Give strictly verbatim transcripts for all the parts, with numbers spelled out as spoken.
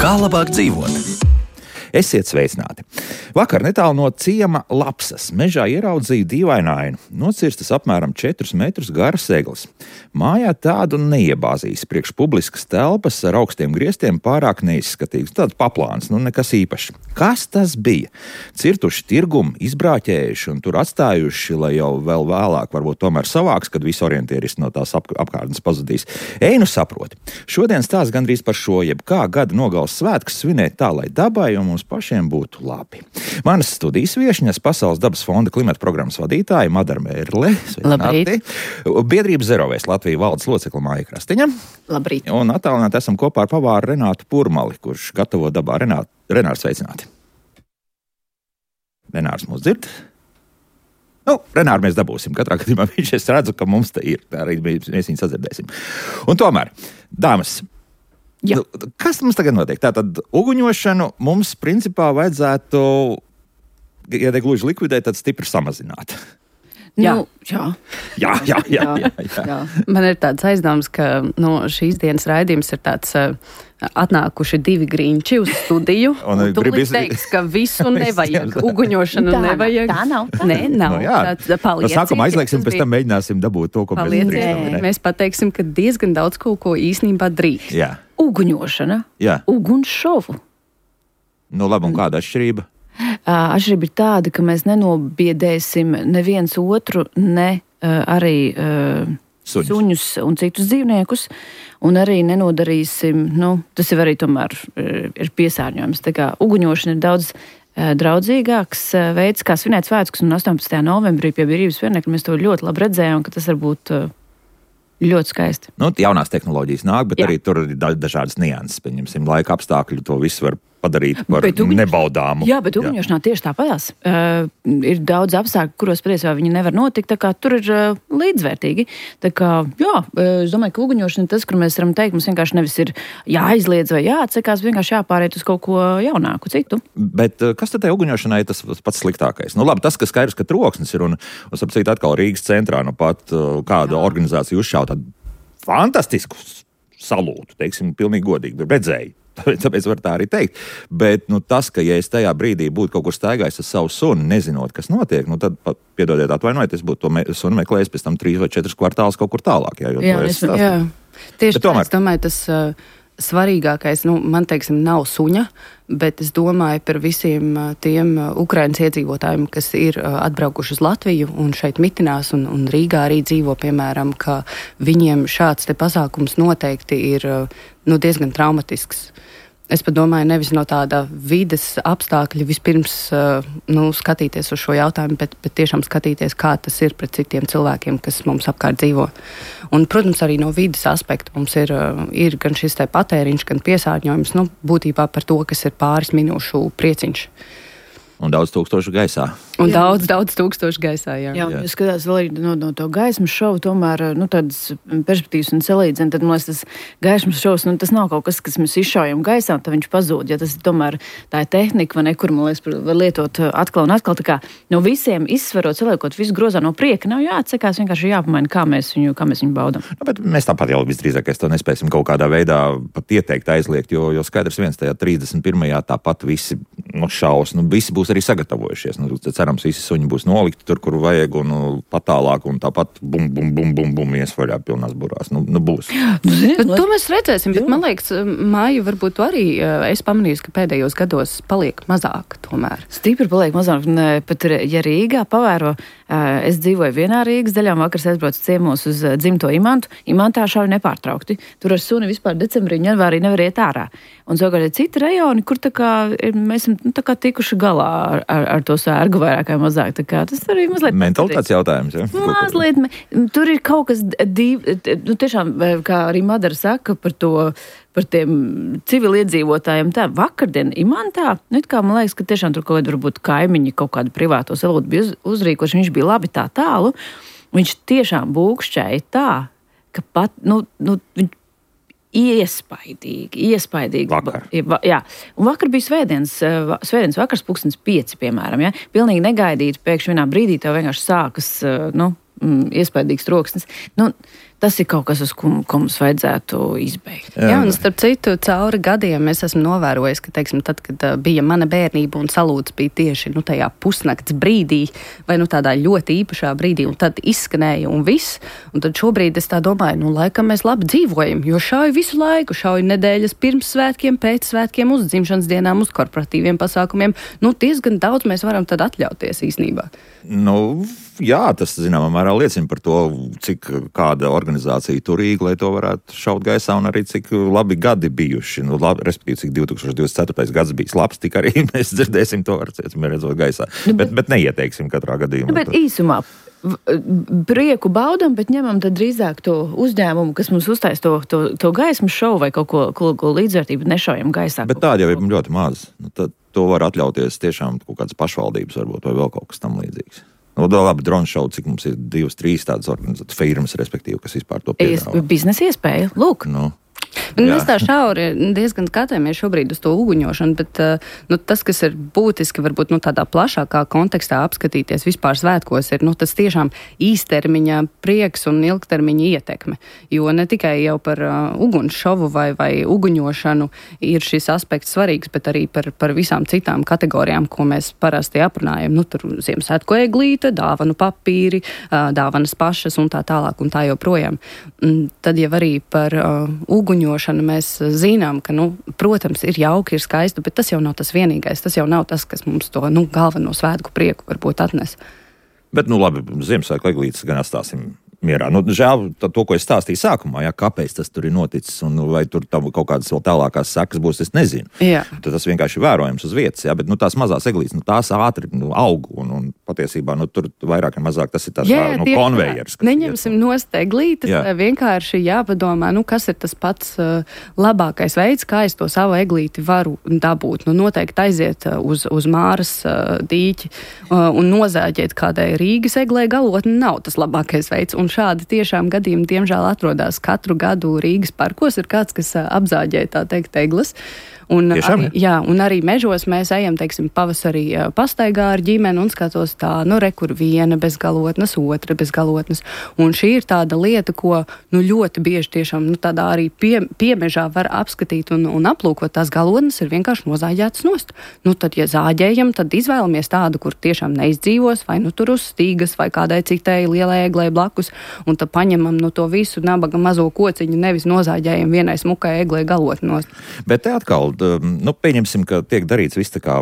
Kā labāk dzīvot? Esiet sveicināti! Vakar netālu no ciema Lapsas mežā ieraudzīju dīvainu ainu. Nocirstas apmēram četrus metrus garas eglis. Mājā tādu neiebāzīs. Priekš publiskas telpas ar augstiem griestiem pārāk neizskatīgs. Tāds paplāns, nu nekas īpašs. Kas tas bija? Cirtuši tirgumu, izbrāķējuši un tur atstājuši, lai jau vēl vēlāk varbūt tomēr savāks, kad visi orientieristi no tās ap apkārtnes pazudīs. Ej nu saproti. Šodien stāsts gandrīz par šo, jeb kā gada nogales svētkus svinēt tā, lai dabai un mums pašiem būtu labi. Manas studijas viešņas Pasaules dabas fonda klimata programmas vadītāja Madara Mērle. Labrīt. Biedrības Zerovēs Latvija valdes locekla Māja Krastiņa. Labrīt. Un attālināti esam kopā ar pavāru Renātu Purmali, kurš gatavo dabā. Renāt, Renārs, sveicināti. Renārs mūs dzird? Nu, Renāru mēs dabūsim. Katrā gadījumā viņš es redzu, ka mums te ir. Arī mēs viņu sadzirdēsim. Un tomēr, dāmas, Jā. Kas mums tagad notiek? Tātad uguņošanu mums principā vajadzētu, ja te gluži likvidēt, tad stipri samazināt. Jā. Nu, jā. Jā, jā, jā, jā, jā. jā. Man ir tāds aizdoms, ka no šīs dienas raidījums ir tāds uh, atnākuši divi grīņči uz studiju. un un tu līdz teiks, ka visu nevajag. Uguņošanu tā nevajag. Tā nav. Tā. Nē, nav. No, jā. Tā, no sākuma aizlieksim, pēc tam mēģināsim dabūt to, ko Palieciet. mēs drīkstam. Mēs pateiksim, ka diezgan daudz kaut ko īstenībā drīkst. Jā. Uguņošana. Jā. Ugunsšovu. Nu labi, un kāda atšķirība? Uh, atšķirība ir tāda, ka mēs nenobiedēsim neviens otru, ne uh, arī uh, Suņus. suņus un citus dzīvniekus, un arī nenodarīsim, nu, tas jau arī tomēr uh, ir piesārņojums. Tā kā uguņošana ir daudz uh, draudzīgāks uh, veids, kā svinēt svētkus, un astoņpadsmitajā novembrī pie Brīvības pieminiekļa mēs to ļoti labi redzējām, ka tas var būt uh, ļoti skaisti. Nu, jaunās tehnoloģijas nāk, bet Jā. arī tur ir da dažādas nianses. Pieņemsim, laika apstākļi to visu var padarīt par uguņ... nebaudāmu. Jā, bet uguņošanā tieši tāpatās. Uh, ir daudz apstākļu, kuros patiesībā viņi nevar notikt, tā kā tur ir uh, līdzvērtīgi. Tā kā, jā, uh, es domāju, ka uguņošana ir tas, kur mēs varam teikt, mums vienkārši nevis ir jāizliedz vai jāatsakās, vienkārši jāpāriet uz kaut ko jaunāku, citu. Bet uh, kas tad tai uguņošanai ir tas pats sliktākais? Nu labi, tas, ka skaidrs, ka troksnis ir un, un sapcīt atkal Rīgas centrā, nu pat uh, kāda organizācija uzšauj tādu fantastisku salūtu, teiksim, pilnīgi godīgi, redzēju. Tāpēc var tā arī teikt. Bet nu, tas, ka ja es tajā brīdī būtu kaut kur staigājis ar savu sunu, nezinot, kas notiek, nu tad, piedodiet, atvainojiet, es būtu to me sunu meklējis pēc tam trīs vai četras kvartālus kaut kur tālāk. Jā, jo jā, to es, jā. Tieši tā, tomēr... es domāju, tas uh, svarīgākais, nu, man teiksim, nav suņa, bet es domāju par visiem uh, tiem uh, Ukrainas iedzīvotājiem, kas ir uh, atbraukuši uz Latviju un šeit mitinās un, un Rīgā arī dzīvo, piemēram, ka viņiem šāds te pasākums noteikti ir uh, nu, diezgan traumatisks. Es pat domāju, nevis no tāda vides apstākļa vispirms uh, nu, skatīties uz šo jautājumu, bet, bet tiešām skatīties, kā tas ir pret citiem cilvēkiem, kas mums apkārt dzīvo. Un, protams, arī no vides aspekta mums ir, uh, ir gan šis te patēriņš, gan piesārņojums, nu, būtībā par to, kas ir pāris minūšu prieciņš. Un daudz tūkstošu gaisā. Un Jā. daudz, daudz tūkstošu gaisā, jā. Jā, Jā. ja skatās vēl arī no, no to gaismas šovu, tomēr, nu, tādas perspektīvas un salīdzina, tad, man liekas, tas gaismas šovs, nu, tas nav kaut kas, kas mēs izšaujam gaisā, un tad viņš pazūd, ja tas ir tomēr tā ir tehnika, vai ne, kur, man liekas, var lietot atkal un atkal, tā kā no visiem izsverot, saliekot visu grozā no prieka, nav jāatsakās, vienkārši jāpamaina, kā mēs viņu, kā mēs viņu baudam. Nu, bet mēs tāpat jau visdrīzākais to nespēsim kaut kādā veidā pat ieteikt aizliegt, jo, jo skaidrs viens tajā trīsdesmit pirmajā tāpat visi nu, šaus, nu, visi būs arī sagatavojušies. Nu, cerams, visi suņi būs nolikti tur, kur vajag, un nu, patālāk, un tāpat bum, bum, bum, bum, bum, iesvaļā pilnās burās. Nu, nu būs. Nu, zini, Bet to mēs redzēsim, bet man liekas, Māja, varbūt tu arī es pamanīju, ka pēdējos gados paliek mazāk tomēr. Stipri paliek mazāk, un pat ja Rīgā pavēro, es dzīvoju vienā Rīgas daļā, vakars aizbraucu ciemos uz dzimto Imantu, Imantā šauj nepārtraukti. Tur ar suni vispār decembrī, janvārī nevar iet ārā. Un savukārt ir citi rajoni, kur tā kā mēs esam nu, tā kā tikuši galā ar, ar, ar to sērgu vairāk vai mazāk. Tā kā tas arī mazliet... Mentalitātes jautājums, ja? Mazliet, tur ir kaut kas div, nu tiešām, kā arī Madara saka par to, par tiem civiliedzīvotājiem, tā vakardien Imantā, nu it kā man liekas, ka tiešām tur kaut kādi varbūt kaimiņi kaut kādu privāto salūtu bija uz, uzrīkoši, viņš bija labi tā tālu, viņš tiešām būkšķēja tā, ka pat, nu, nu viņš iespaidīgi, iespaidīgi. Vakar. Jā, un vakar bija svētdienas, svētdienas vakars, pulkstens pieci, piemēram, ja? Pilnīgi negaidīt, pēkšņi vienā brīdī tev vienkārši sākas, nu, iespaidīgs troksnis. Nu, tas ir kaut kas, uz ko, ko mums vajadzētu izbeigt. Jā, un starp citu, cauri gadiem es esmu novērojis, ka, teiksim, tad, kad uh, bija mana bērnība un salūts bija tieši, nu, tajā pusnakts brīdī, vai, nu, tādā ļoti īpašā brīdī, un tad izskanēja un viss, un tad šobrīd es tā domāju, nu, laikam mēs labi dzīvojam, jo šauju visu laiku, šauju nedēļas pirms svētkiem, pēc svētkiem, uz dzimšanas dienām, uz korporatīviem pasākumiem, nu, diezgan daudz mēs varam tad atļauties īsnībā. Nu, jā, tas, zināmā mērā, liecina par to, cik kāda organizācija turīga, lai to varētu šaut gaisā, un arī cik labi gadi bijuši. Nu, labi, respektīvi, cik divs tūkstoš divdesmit ceturtais gads bijis labs, tik arī mēs dzirdēsim to, varēsim redzot gaisā. Nu, bet, bet, bet neieteiksim katrā gadījumā. Nu, bet īsumā prieku baudam, bet ņemam tad drīzāk to uzņēmumu, kas mums uztais to, to, to gaismu šovu vai kaut ko, ko, ko līdzvērtību nešaujam gaisā. Bet tāda jau ir ļoti maz. Nu, tad to var atļauties tiešām kaut kādas pašvaldības varbūt vai vēl kaut kas tam līdzīgs. Nu, labi, drone show, cik mums ir divas, trīs tādas organizācijas firmas, respektīvi, kas vispār to piedāvā. Biznesa iespēja, lūk. Nu. Mēs tā šauri diezgan skatāmies šobrīd uz to uguņošanu, bet nu, tas, kas ir būtiski, varbūt nu, tādā plašākā kontekstā apskatīties vispār svētkos, ir nu, tas tiešām īstermiņa prieks un ilgtermiņa ietekme. Jo ne tikai jau par uh, uguns šovu vai, vai uguņošanu ir šis aspekts svarīgs, bet arī par, par visām citām kategorijām, ko mēs parasti aprunājam. Nu, tur Ziemassvētku eglīte, dāvanu papīri, uh, dāvanas pašas un tā tālāk un tā joprojām. Un tad jau arī par uh, uguņošanu mēs zinām, ka, nu, protams, ir jauki, ir skaisti, bet tas jau nav tas vienīgais. Tas jau nav tas, kas mums to nu, galveno svētku prieku varbūt atnes. Bet, nu labi, Ziemassvētku eglītes gan atstāsim mierā. Nu, žēl to, ko es stāstīju sākumā, jā, kāpēc tas tur ir noticis un vai tur tam kaut kādas vēl tālākās sekas būs, es nezinu. Jā. Tad tas vienkārši ir vērojams uz vietas, jā, bet nu, tās mazās eglītes, nu, tās ātri nu, aug un, un patiesībā nu, tur vairāk un mazāk tas ir tās jā, kā, nu, konvejers. Neņemsim nost eglītes, jā. Vienkārši jāpadomā, nu, kas ir tas pats uh, labākais veids, kā es to savu eglīti varu dabūt. Nu, noteikti aiziet uh, uz, uz Māras uh, dīķi uh, un nozāģēt kādai Rīgas eglē galotni nav tas labākais veids. Un šādi tiešām gadījumi, diemžēl, atrodas katru gadu Rīgas parkos. Ir kāds, kas apzāģē, tā teikt, egles. Un Tiešām, arī, jā, un arī mežos mēs ejam, teiksim, pavasarī pastaigā ar ģimeni un skatos tā, nu, re, kur viena bez galotnes, otra bez galotnes. Un šī ir tāda lieta, ko, nu, ļoti bieži tiešām, nu, tādā arī pie, piemežā var apskatīt un, un aplūkot. Tās galotnes ir vienkārši nozāģētas nost. Nu, tad, ja zāģējam, tad izvēlamies tādu, kur tiešām neizdzīvos, vai nu tur uz stīgas, vai kādai citai lielai eglai blakus, un tad paņemam no to visu nabaga mazo kociņu, nevis nozāģējam vienai smukai eglai galotni nost. Bet te atkal, nu, pieņemsim, ka tiek darīts viss tā kā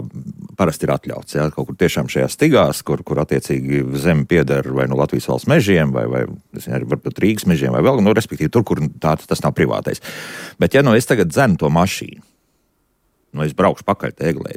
parasti ir atļauts, jā, kaut kur tiešām šajās stigās, kur, kur attiecīgi zemi pieder vai nu Latvijas valsts mežiem, vai, vai arī varbūt Rīgas mežiem, vai vēl, nu, respektīvi tur, kur tā, tas nav privātais. Bet, ja nu es tagad dzenu to mašīnu, nu, es braukšu pakaļ te eglē,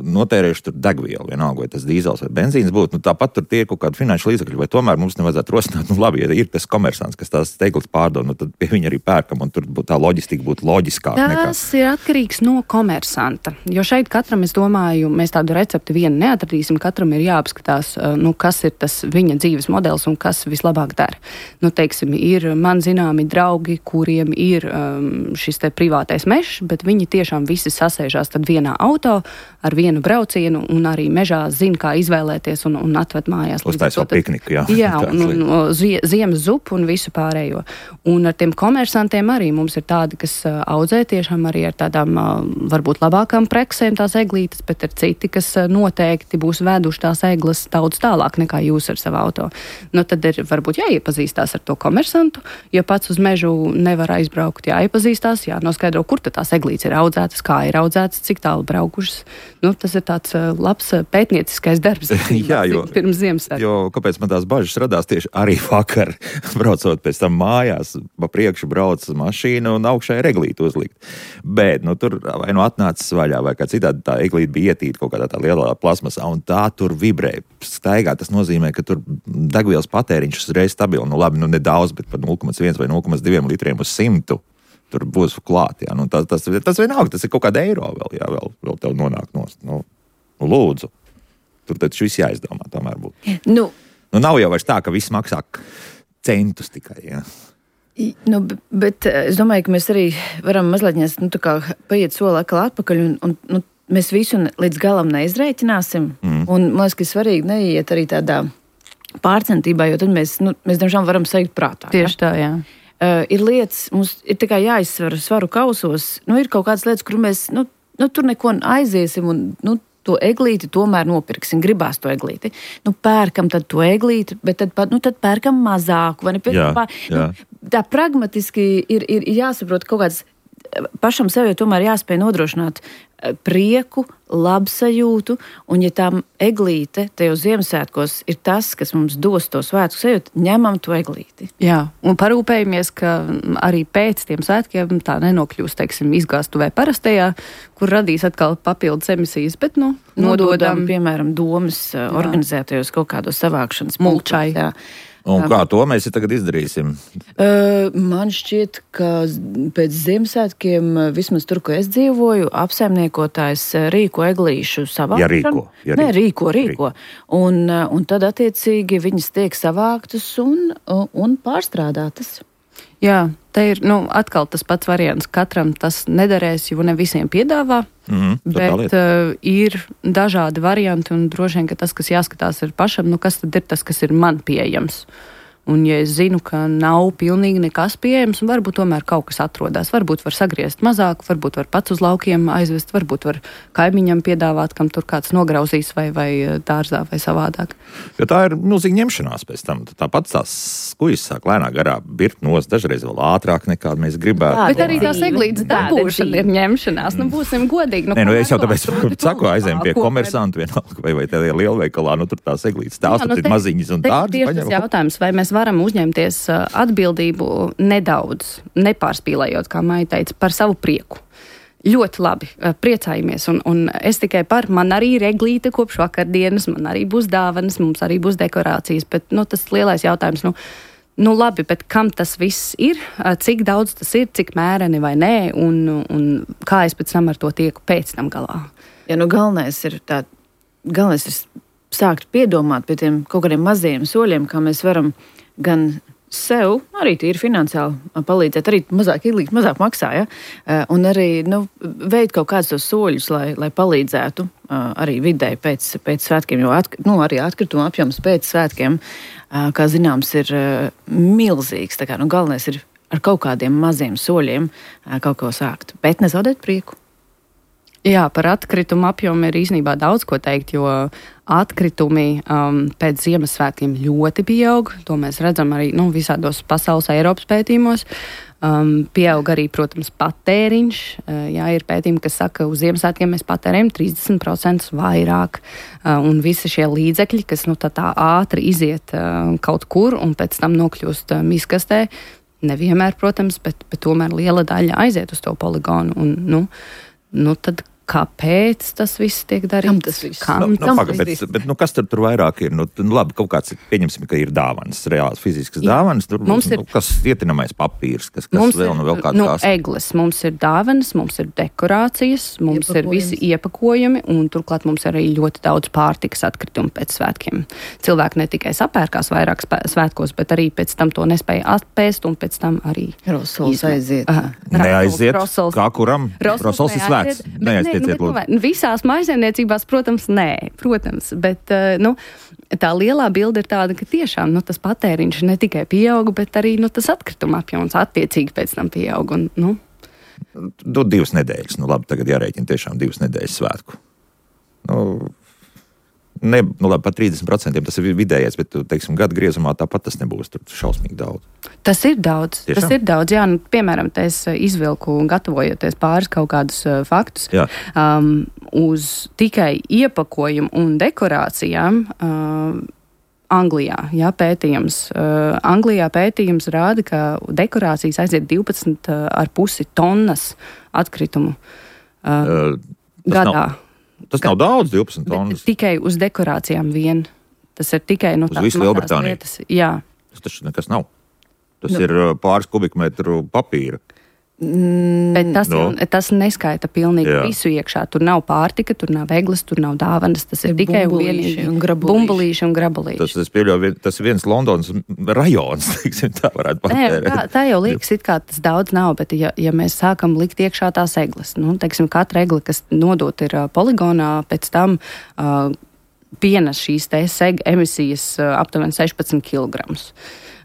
notērēšu tur degvielu, vienalga, vai tas dīzels vai benzīns būtu, nu, tāpat tur tie ir kaut kādi finanšu līdzekļi, vai tomēr mums nevajadzētu rosināt, nu, labi, ja ir tas komersants, kas tās eglis pārdod, nu, tad pie viņa arī pērkam, un tur tā loģistika būtu loģiskāka nekā. Tas ir atkarīgs no komersanta, jo šeit katram, es domāju, mēs tādu recepti vienu neatradīsim, katram ir jāapskatās, nu, kas ir tas viņa dzīves modelis un kas vislabāk dara. Nu, teiksim, ir man zināmi draugi, kuriem ir um, šis te privātais mežs, bet viņi tiešām visi sasēžās tad vienā auto ar vienu braucienu un arī mežā zina, kā izvēlēties un, un atved mājās. Uztaisot pikniku, jā. Jā, un, un, un zie, ziemas zupu un visu pārējo. Un ar tiem komersantiem arī mums ir tādi, kas uh, audzē tiešām arī ar tādām uh, varbūt labākām preksēm tās eglītes, bet ir citi, kas uh, noteikti būs veduši tās eglas daudz tālāk nekā jūs ar savu auto. Nu, tad ir varbūt jāiepazīstās ar to komersantu, jo pats uz mežu nevar aizbraukt, jāiepazīstās, jānoskaidro, kur tad tās eglītes ir audzētas, kā ir audzētas, cik tālu braukušas. Nu, tas ir tāds uh, labs uh, pētnieciskais darbs. Jā, jo, pirms Ziemassvētku. Jo, kāpēc man tās bažas radās tieši arī vakar, braucot pēc tam mājās, pa priekšu brauc mašīna un augšā ir eglīte uzlikt. Bet, nu, tur vai nu atnācis vaļā, vai kā citādi tā eglīte bija ietīta kaut kādā tā lielā plasmasā, un tā tur vibrē. Staigā tas nozīmē, ka tur degvielas patēriņš uzreiz stabili. Nu, labi, nu, nedaudz, bet par nulle komats viens vai nulle komats divi litriem uz simtu. Tur būs klāt, jā. Nu, tas, tas, tas vienalga, tas ir kaut kāda eiro vēl, jā, vēl, vēl tev nonāk nost. Nu, nu, lūdzu. Tur taču viss jāizdomā, tomēr būtu. Nu, Nu, nav jau vairs tā, ka viss maksā centus tikai, jā. Nu, bet es domāju, ka mēs arī varam mazliet nu, tā kā paiet soli atkal atpakaļ un, un nu, mēs visu līdz galam neizrēķināsim. Mm. Un man liekas, ka svarīgi neiet arī tādā pārcentībā, jo tad mēs, nu, mēs diemžēl varam sajūt prātā. Tieši tā, jā. Uh, ir lietas, mums ir tā kā jāizsver svaru kausos. Nu, ir kaut kādas lietas, kur mēs, nu, nu tur neko aiziesim un, nu, to eglīti tomēr nopirksim, gribās to eglīti. Nu, pērkam tad to eglīti, bet tad, nu, tad pērkam mazāku. Vai ne? Jā, Pār, jā. Nu, tā pragmatiski ir, ir jāsaprot kaut kāds, pašam sev jau tomēr jāspēj nodrošināt prieku, labsajūtu, un ja tā eglīte tajos Ziemassvētkos ir tas, kas mums dos to svētku sajūtu, ņemam to eglīti. Jā, un parūpējamies, ka arī pēc tiem svētkiem tā nenokļūst, teiksim, izgāstuvē parastajā, kur radīs atkal papildus emisijas, bet, nu, nododam, nododam piemēram, domas jā. Organizētajos kaut kādos savākšanas mulčai. Jā. Un kā to mēs tagad izdarīsim? Uh, man šķiet, ka pēc Ziemassvētkiem, vismaz tur, ko es dzīvoju, apsaimniekotājs rīko eglīšu savākšanu. Ja rīko. Ja rīko. Nē, rīko, rīko. Un, un tad attiecīgi viņas tiek savāktas un, un pārstrādātas. Jā, te ir nu, atkal tas pats variants. Katram tas nederēs, jo ne visiem piedāvā, mm-hmm, bet uh, ir dažādi varianti un droši vien, ka tas, kas jāskatās ir pašam, nu kas tad ir tas, kas ir man pieejams. Un ja es zinu, ka nav pilnīgi nekas pieejams, varbūt tomēr kaut kas atrodas. Varbūt var sagriezt mazāk, varbūt var pats uz laukiem aizvest, varbūt var kaimiņam piedāvāt, kam tur kāds nograuzīs vai, vai dārzā vai savādāk. Jo tā ir milzīga ņemšanās pēc tam. Tāpat tās skujas sāk lēnā garā birt nos, dažreiz vēl ātrāk nekā mēs gribētu. Tā, bet arī tās eglītes dabūšana ir ņemšanās. Nu, būsim godīgi. Nu, Nē, nu es jau tāpēc saku, aizējam pie komersantu vienalga vai, vai tādā lielveikalā, nu tur tās eglītes tās, Jā, nu, tur ir maziņas un tādas. Varam uzņemties atbildību nedaudz, nepārspīlējot, kā Maija teica, par savu prieku. Ļoti labi, priecājamies, un, un es tikai par, man arī ir eglīte kopš vakardienas, man arī būs dāvanas, mums arī būs dekorācijas, bet, nu, tas lielais jautājums, nu, nu, labi, bet kam tas viss ir, cik daudz tas ir, cik mēreni vai nē, un, un kā es pēc tam ar to tieku pēc tam galā? Ja, nu, galvenais ir tā, galvenais ir sākt piedomāt pie tiem kaut kādiem mazajiem soļiem, kā mēs varam gan sev, arī tīri finansiāli palīdzēt, arī mazāk ielīgt, mazāk maksā, ja? Un arī nu, veikt kaut kādus tos soļus, lai, lai palīdzētu arī videi pēc, pēc svētkiem, jo at, nu, arī atkrituma apjoms pēc svētkiem, kā zināms, ir milzīgs. Tā kā, nu, galvenais ir ar kaut kādiem maziem soļiem kaut ko sākt, bet nezaudēt prieku. Jā, par atkritumu apjomu ir īstenībā daudz ko teikt, jo atkritumi um, pēc Ziemassvētkiem ļoti pieaug. To mēs redzam arī nu, visādos pasaules Eiropas pētījumos. Um, pieaug arī, protams, patēriņš. Uh, jā, ir pētījumi, kas saka, ka uz Ziemassvētkiem mēs patērējam trīsdesmit procentus vairāk. Uh, un visi šie līdzekļi, kas nu, tā, tā ātri iziet uh, kaut kur un pēc tam nokļūst uh, miskastē, nevienmēr, protams, bet, bet tomēr liela daļa aiziet uz to poligonu. Un, nu, Nu, tad kāpēc tas viss tiek darīts? Kam tas viss? Kam nu, tas nu, paga, bet, bet, nu, kas tur, tur vairāk ir? Nu, nu, labi, kaut kāds, pieņemsim, ka ir dāvanas, reāls fiziskas Jā. dāvanas. Tur, mums ir, nu, kas ietinamais papīrs, kas, kas vēl, nu, vēl kāda nu, kās. Egles, mums ir dāvanas, mums ir dekorācijas, mums ir visi iepakojumi, un turklāt mums arī ļoti daudz pārtikas atkritumu pēc svētkiem. Cilvēki ne tikai sapērkās vairāk svētkos, bet arī pēc tam to nespēja atpēst, un pēc tam arī Rosols aiziet. Aha, Neaiziet, Rosols. kā kuram? Rosols ir svēts. Neaiziet, nu, nu, visās mājsaimniecībās, protams, nē, protams, bet nu, tā lielā bilde ir tāda, ka tiešām nu, tas patēriņš ne tikai pieauga, bet arī nu, tas atkrituma apjoms attiecīgi pēc tam pieauga. Un, nu. Du, divas nedēļas, nu labi, tagad jārēķina tiešām divas nedēļas svētku. Nu, ne, nu labi, pat trīsdesmit procenti tas ir vidējais, bet, teiksim, gada griezumā tāpat tas nebūs tur šausmīgi daudz. Tas ir daudz, Tiešām? tas ir daudz, jā, nu, piemēram, te es izvilku, gatavojoties pāris kaut kādus uh, faktus, um, uz tikai iepakojumu un dekorācijām uh, Anglijā, jā, pētījums. Uh, Anglijā pētījums rāda, ka dekorācijas aiziet divpadsmit ar pusi tonnas atkritumu uh, uh, gadā. Nav. Tas nav daudz, divpadsmit tonnas. Tikai uz dekorācijām vien. Tas ir tikai nu, uz visu Lielbritāniju. Lietas. Jā. Tas taču nekas nav. Tas Jā. ir pāris kubikmetru papīra. Mm, Bet tas, no. tas neskaita pilnīgi Jā. visu iekšā. Tur nav pārtika, tur nav eglis, tur nav dāvanas. Tas ir tikai un vienīgi bumbulīši un grabulīši. Tas, tas, pieļauj, tas ir viens Londonas rajons, teiksim, tā varētu patērēt. Tā, tā jau liekas, it kā tas daudz nav, bet ja, ja mēs sākam likt iekšā tās eglis, nu, teiksim, katra egla, kas nodot ir uh, poligonā, pēc tam uh, pienes šīs te seg emisijas uh, aptuveni sešpadsmit kilogramus.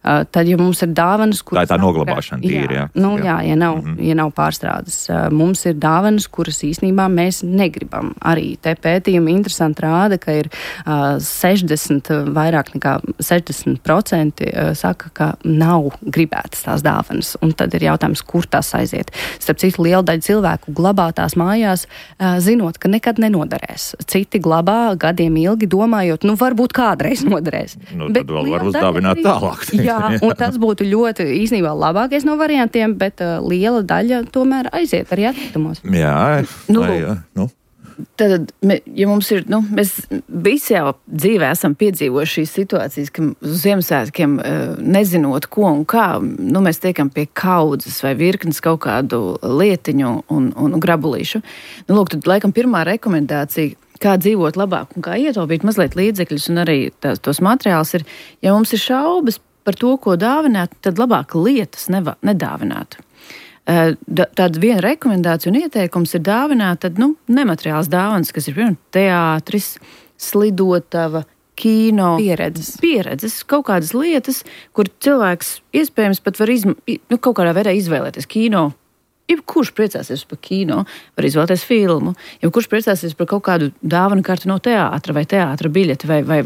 Uh, tad, ja mums ir dāvanas, kuras... Tā ir tā noglabāšana tīri, jā. jā. Nu, jā, ja nav, mm-hmm. ja nav pārstrādes. Uh, mums ir dāvanas, kuras īstenībā mēs negribam. Arī te pētījumi interesanti rāda, ka ir uh, sešdesmit, vairāk nekā sešdesmit procenti uh, saka, ka nav gribētas tās dāvanas. Un tad ir jautājums, kur tās aiziet. Starp citu, liela daļa cilvēku glabā tās mājās, uh, zinot, ka nekad nenoderēs. Citi glabā gadiem ilgi, domājot, nu varbūt kādreiz noderēs. Nu, tad Bet vēl var uzdāvināt tālāk. Jā, un tas būtu ļoti īstenībā labākais no variantiem, bet uh, liela daļa tomēr aiziet arī atkritumos. Jā, nu, vai, jā, nu. Tad, ja mums ir, nu, mēs visi jau dzīvē esam piedzīvojuši šīs situācijas, ka uz Ziemassvētkiem nezinot, ko un kā, nu, mēs tiekam pie kaudzes vai virknes kaut kādu lietiņu un, un grabulīšu. Nu, lūk, tad laikam pirmā rekomendācija, kā dzīvot labāk un kā ietaupīt mazliet līdzekļus un arī tās, tos materiālus ir, ja mums ir šaubas par to, ko dāvināt, tad labāk lietas neva, nedāvināt. Tāda viena rekomendācija un ieteikums ir dāvināt tad, nu, nemateriāls dāvanas, kas ir, piemēram, teātris, slidotava, kino. Pieredzes. Pieredzes, kaut kādas lietas, kur cilvēks iespējams pat var izm, nu, kaut kādā veidā izvēlēties kino. Jebkurš priecāsies par kino, var izvēlēties filmu, jebkurš priecāsies par kaut kādu dāvanu karti no teātra vai teātra biļeti, vai, vai,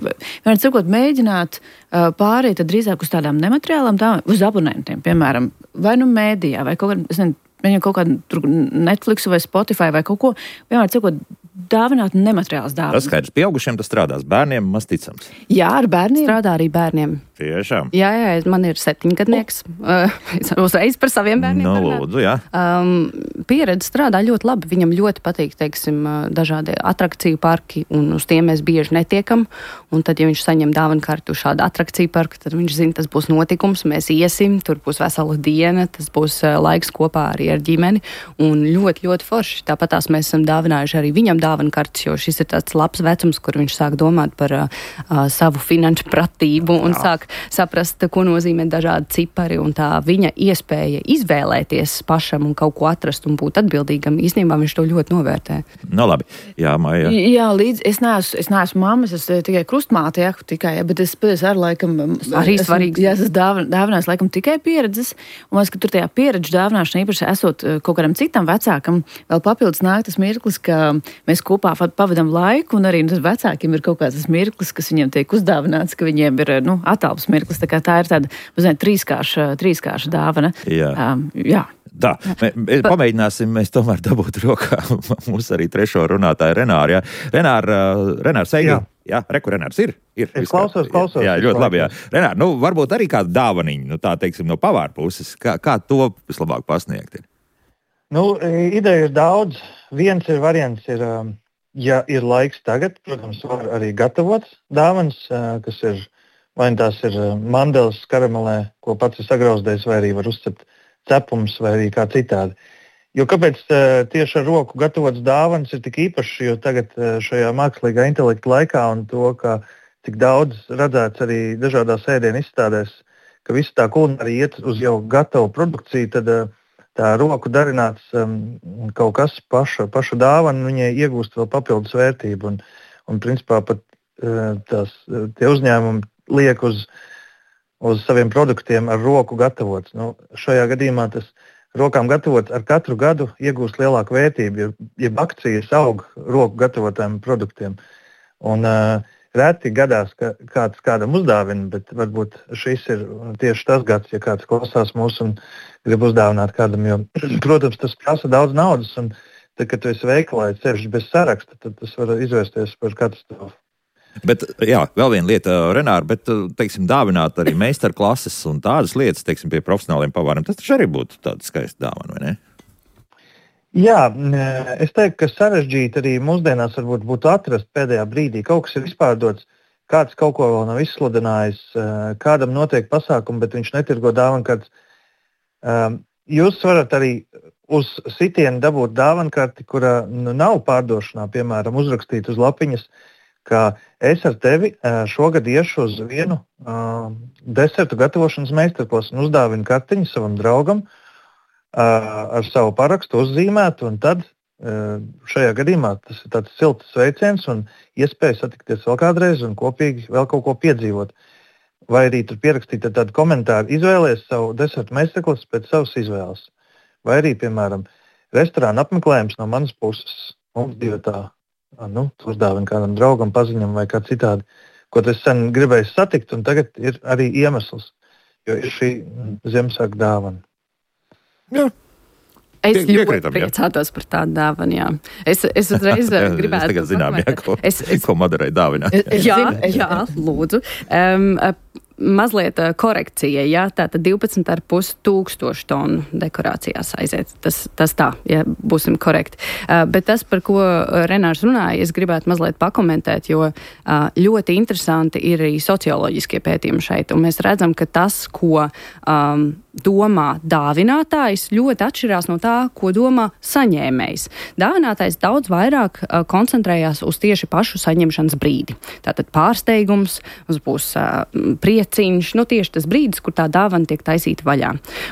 vai cikot mēģināt uh, pāriet drīzāk uz tādām nemateriālām dāvanām, uz abonentiem, piemēram, vai nu mēdījā, vai kaut kādā, es nezinu, viņam kaut kādu Netflix vai Spotify vai kaut ko, vienmēr cikot dāvināt nemateriāls dāvanas. Tas skaidrs, pieaugušiem tas strādās, bērniem maz ticams. Jā, ar bērniem. Strādā arī bērniem. Tiešām. Jā, jā, man ir septiņgadnieks. Uh, uzreiz par saviem bērniem. No, lūdzu, jā. Um, pieredze strādā ļoti labi. Viņam ļoti patīk, teiksim, dažādi atrakciju parki, un uz tiem mēs bieži netiekam. Un tad, ja viņš saņem dāvanu kartu uz šādu atrakciju parku, tad viņš zina, tas būs notikums, mēs iesim, tur būs vesela diena, tas būs uh, laiks kopā arī ar ģimeni. Un ļoti, ļoti forši. Tāpat tās mēs esam dāvinājuši arī viņam dāvanu kartes, jo šis ir tāds labs vecums, kur viņš sāk domāt par uh, savu finanšu pratību un Jā. sāk saprast, ko nozīmē dažādi cipari, un tā viņa iespēja izvēlēties pašam un kaut ko atrast un būt atbildīgam, īstenībā viņš to ļoti novērtē. No labi. Jā, Maija. Jā, līdz es neesmu, es neesmu mammas, es tikai krustmāte, jā, tikai, jā, bet es pēc ar laikam arī svarīgs. Jā, es esmu dāvin, dāvinājis laikam tikai pieredzes, un man, ka tur tajā pieredžu dāvināšana īpaši esot kaut kādam citam vecākam, vēl papildus nāk tas mirklis, ka mēs kopā pavadam laiku, un arī nu, vecākiem ir kaut kāds tas mirklis, kas viņiem tiek uzdāvināts, ka viņiem ir, nu, atālpas mirklis, tā kā tā ir tāda, mazliet, trīskārša, trīskārša dāvana. Jā. Um, jā. Tā, mēs pamēģināsim, mēs tomēr dabūt rokā mūsu arī trešo runātāju Renāru, jā. Renāra, Renārs Eigi, jā, jā reku Renārs ir? ir es klausos, klausos. Jā, ļoti labi, jā. Renār, nu, varbūt arī kāda dāvaniņa, nu, tā teiksim, no pavāra puses, kā, kā to vislabāk pasniegt ir? Nu, ideja ir daudz. Viens ir variants, ir, ja ir laiks tagad, protams, var arī gatavot dāvanas, kas ir, vai tās ir mandeles karamelē, ko pats ir sagrauzdējis, vai arī var uzcept cepums, vai arī kā citādi. Jo kāpēc tieši ar roku gatavots dāvanas ir tik īpašs, jo tagad šajā mākslīgā intelekta laikā un to, ka tik daudz redzēts arī dažādās ēdienu izstādēs, ka visa tā kulinārija iet uz jau gatavu produkciju, tad tā roku darināts um, kaut kas paša, paša dāvana, viņai iegūst vēl papildus vērtību. Un, un principā pat uh, tās, tie uzņēmumi liek uz, uz saviem produktiem ar roku gatavots. Nu, šajā gadījumā tas rokām gatavots ar katru gadu iegūst lielāku vērtību, jo, ja akcijas aug roku gatavotiem produktiem. Un, uh, Reti gadās, ka kāds kādam uzdāvina, bet varbūt šis ir tieši tas gads, ja kāds klausās mūs un grib uzdāvināt kādam. Jo, protams, tas prasa daudz naudas, un tad, kad tu esi veikalā, sevišķi bez saraksta, tad tas var izvērsties par katastrofu. Bet, jā, vēl viena lieta, Renāra, bet, teiksim, dāvināt arī meistarklases un tādas lietas, teiksim, pie profesionāliem pavāriem, tas taču arī būtu tāda skaista dāvana, vai ne? Jā, es teiktu, ka sarežģīti arī mūsdienās varbūt būtu atrast pēdējā brīdī. Kaut kas ir izpārdots, kāds kaut ko vēl nav izsludinājis, kādam notiek pasākumi, bet viņš netirgo dāvanu, kāds. Jūs varat arī uz sitienu dabūt dāvankarti, kura nu, nav pārdošanā, piemēram, uzrakstīt uz lapiņas, ka es ar tevi šogad iešu uz vienu uh, desertu gatavošanas meistarklasu un uzdāvinu kartiņu savam draugam uh, ar savu parakstu uzzīmētu, un tad uh, šajā gadījumā tas ir tāds silts sveiciens un iespēja satikties vēl kādreiz un kopīgi vēl kaut ko piedzīvot. Vai arī tur pierakstīt tādu komentāru, izvēlēties savu desertu meistarklasu pēc savas izvēles. Vai arī, piemēram, restorāna apmeklējums no manas puses. Mums divi tā, nu, uzdāvina kādam draugam, paziņam vai kā citādi, ko es sen gribēju satikt, un tagad ir arī iemesls, jo ir šī Ziemassvētku dāvana. Jā. Es Pie, ļoti priecātos par tādu dāvanu, jā. Es, es uzreiz gribētu... Es tagad zinām, jā, ko, es, es, ko Madarai dāvināt. Jā, jā, lūdzu. Um, mazliet korekcija, jā, tātad divpadsmit ar pus tūkstoši tonu dekorācijās aiziet. Tas, tas tā, ja būsim korekti. Uh, bet tas, par ko Renārs runāja, es gribētu mazliet pakomentēt, jo uh, ļoti interesanti ir arī socioloģiskie pētījumi šeit, un mēs redzam, ka tas, ko um, domā dāvinātājs, ļoti atšķirās no tā, ko domā saņēmējs. Dāvinātājs daudz vairāk uh, koncentrējās uz tieši pašu saņemšanas brīdi. Tātad pārsteigums, uz būs uh, prieciņš, nu tieši tas brīdis, kur tā dāvana tiek taisīta vaļā.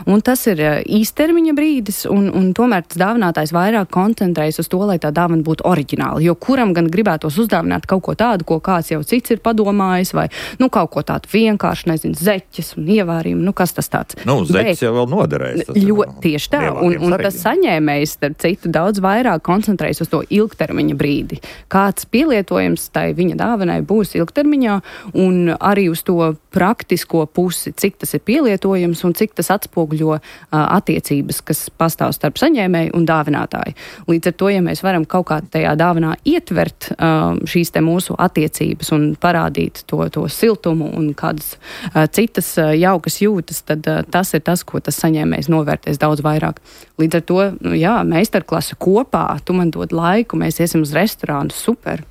Un tas ir uh, īstermiņa brīdis, un, un tomēr tas dāvinātājs vairāk koncentrējas uz to, lai tā dāvana būtu oriģināla, jo kuram gan gribētos uzdāvināt kaut ko tādu, ko kāds jau cits ir padomājis, vai nu kaut ko tādu vienkārši, nezinu, zeķes un ievārījumu, nu kas tas tāds. Nu, zeķes jau vēl noderēs. Jo, tieši tā, un, un tas saņēmējs, starp citu, daudz vairāk koncentrējas uz to ilgtermiņa brīdi. Kāds pielietojums tai viņa dāvanai būs ilgtermiņā, un arī uz to praktisko pusi, cik tas ir pielietojums un cik tas atspoguļo uh, attiecības, kas pastāv starp saņēmēju un dāvinātāju. Līdz ar to, ja mēs varam kaut kā tajā dāvanā ietvert uh, šīs te mūsu attiecības un parādīt to, to siltumu un kādas uh, citas uh, jaukas jūtas, tad uh, tas ir tas, ko tas saņēmējs novērtēs daudz vairāk. Līdz ar to, nu, jā, meistarklase kopā, tu man dod laiku, mēs iesim uz restorānu, super,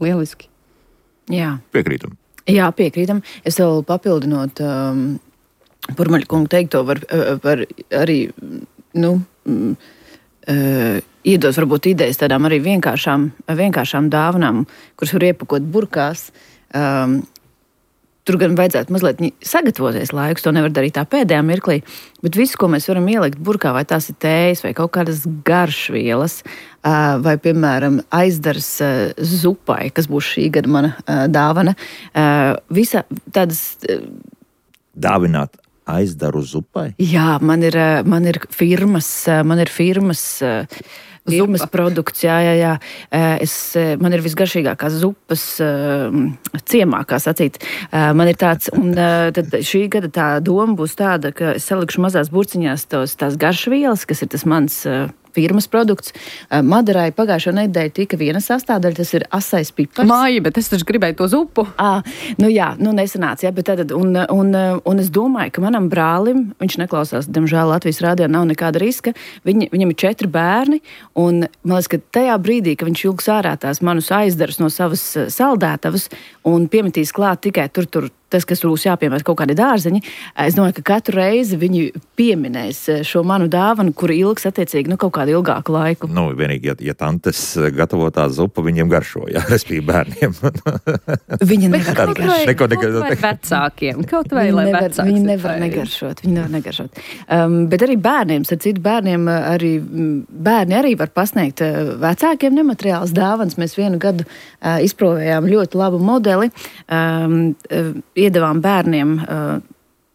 lieliski. Jā. Piekrītam. Jā, piekrītam. Es vēl papildinot um, Purmaļa kungu teikto, var, var arī, nu, um, uh, iedos varbūt idejas tādām arī vienkāršām, vienkāršām dāvanām, kuras var iepakot burkās. Um, Tur gan vajadzētu mazliet sagatavoties laikus, to nevar darīt tā pēdējā mirklī, bet visu, ko mēs varam ielikt burkā, vai tās ir tējas, vai kaut kādas garšvielas, vai, piemēram, aizdars zupai, kas būs šī gada mana dāvana. Visa tādas... Dāvināt aizdaru zupai? Jā, man ir, man ir firmas, man ir firmas... Zupas produkts, jā, jā, jā. Es, man ir visgaršīgākās zupas ciemā, kā sacīt. Man ir tāds, un tad šī gada tā doma būs tāda, ka es salikšu mazās burciņās tos, tās garšvielas, kas ir tas mans firmas produkts. Madarai pagājušo nedēļu tika viena sastāvdaļa, tas ir asais pipars. Māja, bet es taču gribēju to zupu. À, nu jā, nu nesanāca, jā, bet tad, un, un, un es domāju, ka manam brālim, viņš neklausās, diemžēl Latvijas rādījā nav nekāda riska, Viņi, viņam ir četri bērni, un man liekas, ka tajā brīdī, ka viņš ilgs ārā tās manus aizdarus no savas saldētavas un piemetīs klāt tikai tur, tur, tas, kas būs jāpiemēr kaut kādi dārzeņi, es domāju, ka katru reizi viņi pieminēs šo manu dāvanu, kur ilgs attiecīgi, nu, kaut kādu ilgāku laiku. Nu, vienīgi, ja, ja tantes gatavo tā zupa, viņiem garšo, jā, respektīvi bērniem. Viņi nevar kaut vai, neko, neko, kaut vai vecākiem, kaut vai, lai nevar, vecāks. Viņi nevar negaršot, viņi nevar negaršot. Um, bet arī bērniem, ar citu bērniem, arī bērni arī var pasniegt vecākiem nemateriāls dāvans. Mēs vienu gadu uh, izprovējām ļoti labu modeli, um, uh, iedavām bērniem uh,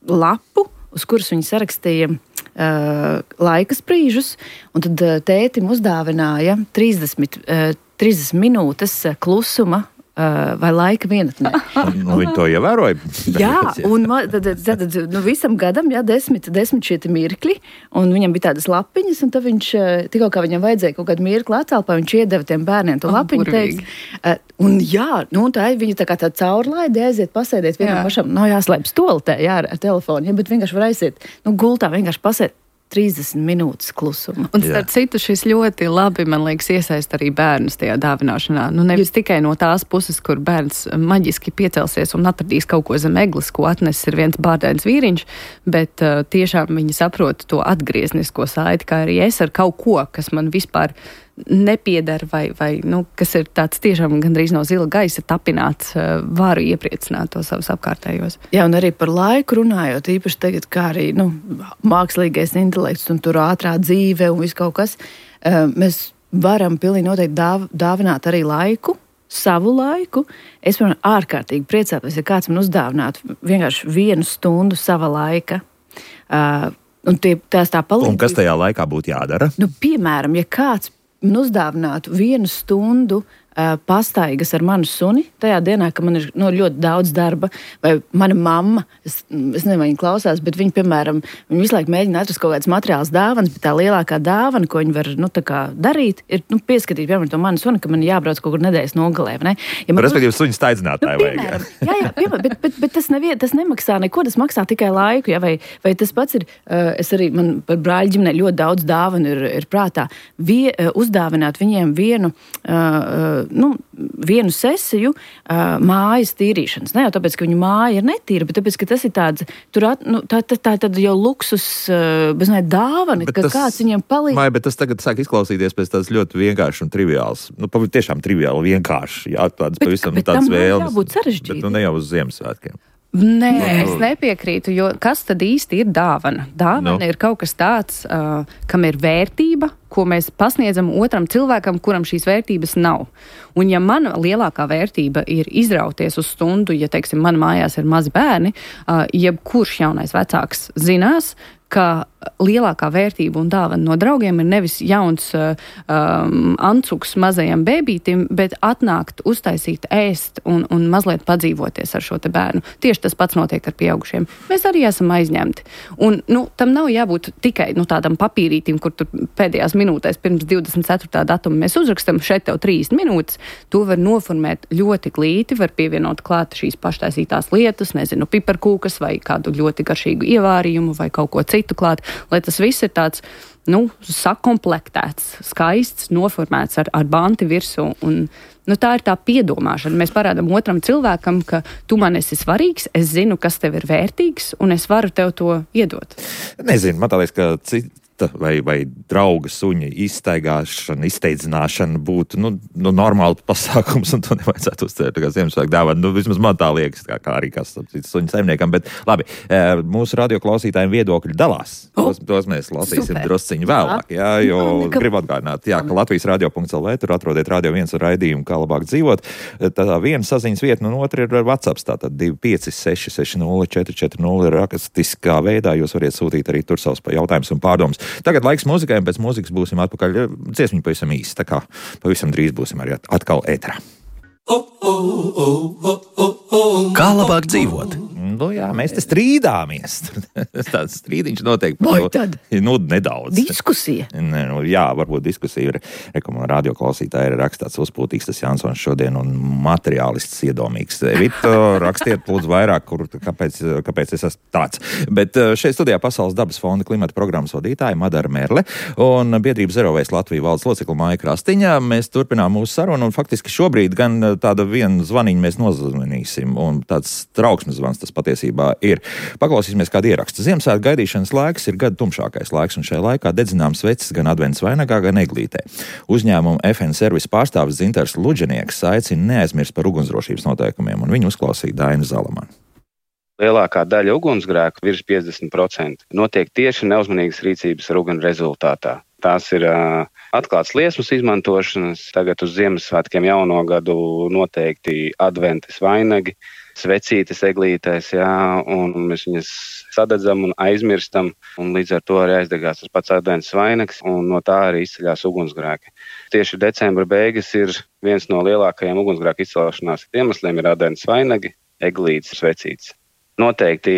lapu, uz kuras viņi sarakstīja uh, laika sprīžus, un tad uh, tētim uzdāvināja trīsdesmit, uh, trīsdesmit minūtes klusuma uh, vai laika vienatnē. Nu, viņi to ievēroja. Jā, un tad, tad, nu, visam gadam, jā, desmit, desmit šie mirkļi, un viņam bija tādas lapiņas, un tad viņš, tikko kā viņam vajadzēja kaut kādu mirkli atcelpā, viņš iedeva tiem bērniem to lapiņu, oh, teica, un jā, nu, tā ir viņa tā kā tā caurlaide, aiziet, pasēdiet vienam pašam, nav jāslēp stoltē, jā, ar telefonu, ja, bet vienkārši var aiziet, nu, gultā vienkārši pasēt. trīsdesmit minūtes klusuma. Un starp citu, šis ļoti labi, man liekas, iesaist arī bērnus tajā dāvināšanā. Nu, nevis tikai no tās puses, kur bērns maģiski piecelsies un atradīs kaut ko zem eglis, ko atnesis ir viens bārdains vīriņš, bet uh, tiešām viņi saprot to atgrieznisko saiti, kā arī es ar kaut ko, kas man vispār nepiedara vai, vai nu, kas ir tāds tiešām gandrīz no zila gaisa tapināts, uh, varu iepriecināt to savus apkārtējos. Jā, un arī par laiku runājot, īpaši tagad, kā arī nu, mākslīgais intelekts un tur ātrā dzīve un viss kaut kas, uh, mēs varam pilnīgi noteikti dāv, dāvināt arī laiku, savu laiku. Es, piemēram, ārkārtīgi priecātos, ja kāds man uzdāvinātu vienkārši vienu stundu sava laika. Uh, un tie, tās tā palīdz. Un kas tajā laikā būtu jādara? Nu, piemēram, ja kāds man uzdāvinātu vienu stundu uh, pastaigas ar manu suni, tajā dienā, ka man ir nu, ļoti daudz darba, vai mana mamma, es, es nezinu, vai viņa klausās, bet viņa, piemēram, viņa visu laiku mēģina atrast kaut kādas materiālas dāvanas, bet tā lielākā dāvana, ko viņa var nu, tā kā darīt, ir nu, pieskatīt, piemēram, to manu suni, ka man jābrauc kaut kur nedēļas nogalē. Ne? Ja man... Respektīvi, suņu staidzinātāji nu, vajag. Jā, jā, piemēram, bet, bet, bet tas, nevien, tas nemaksā neko, tas maksā tikai laiku, ja? vai, vai tas pats ir, uh, es arī, man par brāļu ģimenei ļoti daudz dāvanu ir, ir prātā, Vie, uh, uzdāvināt viņiem vienu, uh, nu, vienu sesiju uh, mājas tīrīšanas. Ne jau tāpēc, ka viņu māja ir netīra, bet tāpēc, ka tas ir tāds, tur at, nu, tā, tā, tā tad jau luksus, uh, bez ne dāvana, bet ka tas, kāds viņiem palīdz. Vai, bet tas tagad sāk izklausīties pēc tāds ļoti vienkārši un triviāls. Nu, tiešām triviāli vienkārši. Jā, tāds bet, pavisam bet tāds tam vēlmes. Jābūt sarežģīti. Bet nu ne jau uz Ziemassvētkiem. Nē, es nepiekrītu, jo kas tad īsti ir dāvana? Dāvana no. ir kaut kas tāds, uh, kam ir vērtība, ko mēs pasniedzam otram cilvēkam, kuram šīs vērtības nav. Un ja mana lielākā vērtība ir izrauties uz stundu, ja, teiksim, man mājās ir mazi bērni, uh, jebkurš jaunais vecāks zinās, ka lielākā vērtība un dāvana no draugiem ir nevis jauns uh, um, ancuks mazajam bēbītim, bet atnākt, uztaisīt, ēst un, un mazliet padzīvoties ar šo te bērnu. Tieši tas pats notiek ar pieaugušiem. Mēs arī esam aizņemti. Un, nu, tam nav jābūt tikai nu, tādam papīrītim, kur tur pēdējās minūtēs pirms divdesmit ceturtā datuma mēs uzrakstam šeit tev trīsdesmit minūtes. To var noformēt ļoti glīti, var pievienot klāt šīs paštaisītās lietas, nezinu, piparkūkas vai kādu ļoti garšīgu ievārījumu vai kaut ko citu klāt, lai tas viss ir tāds, nu, sakomplektēts, skaists, noformēts ar, ar banti virsū. Un, nu, tā ir tā piedomāšana. Mēs parādam otram cilvēkam, ka tu man esi svarīgs, es zinu, kas tev ir vērtīgs, un es varu tev to iedot. Nezinu, man tā liekas, ka cita vai, vai drauga suņa izstaigāšana, izteidzināšana būtu nu, nu, normāli pasākums, un to nevajadzētu uztvert kā Ziemassvētku dāvanu. Nu, vismaz man tā liekas, kā, kā arī kas suņa saimniekam. Bet labi, mūsu radioklausītājiem viedokļi dalās. Oh, tos, tos mēs lasīsim super. Drusciņu vēlāk, jā, jo no, gribu atgādināt, jā, ka Latvijas radio punkts el vē, tur atrodiet Radio viens raidījumu, kā labāk dzīvot. Tā viena saziņas vieta, un otra ir WhatsApp, tātad divi pieci seši seši nulle četri četri nulle rakstiskā veidā. Jūs variet sūtīt arī tur savus jautājumus un pārdomus. Tagad laiks mūzikai, un pēc mūzikas būsim atpakaļ. Dziesmiņa pavisam īsti, tā kā pavisam drīz būsim arī atkal ēterā. Kā labāk dzīvot? Nu jā, mēs te strīdāmies. Tāds strīdiņš notiek. Vai tad? Nu, nedaudz. Diskusija. Ne, nu, jā, varbūt diskusija ir. Rekomendācija radioklausītāji ir rakstāts uzpūtīgs tas Jansons šodien un materiālists iedomīgs. Vito, rakstiet lūdzu vairāk, kur, kāpēc, kāpēc es esmu tāds. Bet šeit studijā Pasaules dabas fonda klimata programmas vadītāja Madara Merle un biedrības Zero Waste Latvija valdes locekla Maija Krastiņa. Mēs turpinām mūsu sarunu un faktiski šobrīd gan tāda viena zvaniņa mēs nozvanīsim un tāds trauksmes zvans tas patiesībā ir. Paklausīsimies kādu ierakstu. Ziemassvētku gaidīšanas laiks ir gada tumšākais laiks, un šajā laikā dedzinām sveces gan advents vainagā, gan eglītē. Uzņēmuma F N Service pārstāvis Dzintars Luģenieks aicina neaizmirst par ugunsdrošības noteikumiem, un viņu uzklausīja Daina Zalamana. Lielākā daļa ugunsgrēku, virs piecdesmit procenti, notiek tieši neuzmanīgas rīcības ar uguni rezultātā. Tās ir uh, atklāts liesmas izmantošanas, tagad uz Ziemassvētkiem jauno gadu noteikti adventes vainagi, svecītes eglītēs, jā, un mēs viņas sadedzam un aizmirstam, un līdz ar to arī aizdegās tas pats advents vainags, un no tā arī izceļās ugunsgrēki. Tieši decembra beigas ir viens no lielākajiem ugunsgrēku izcelšanās iemesliem ir advents vainagi, eglītes, svecītes. Noteikti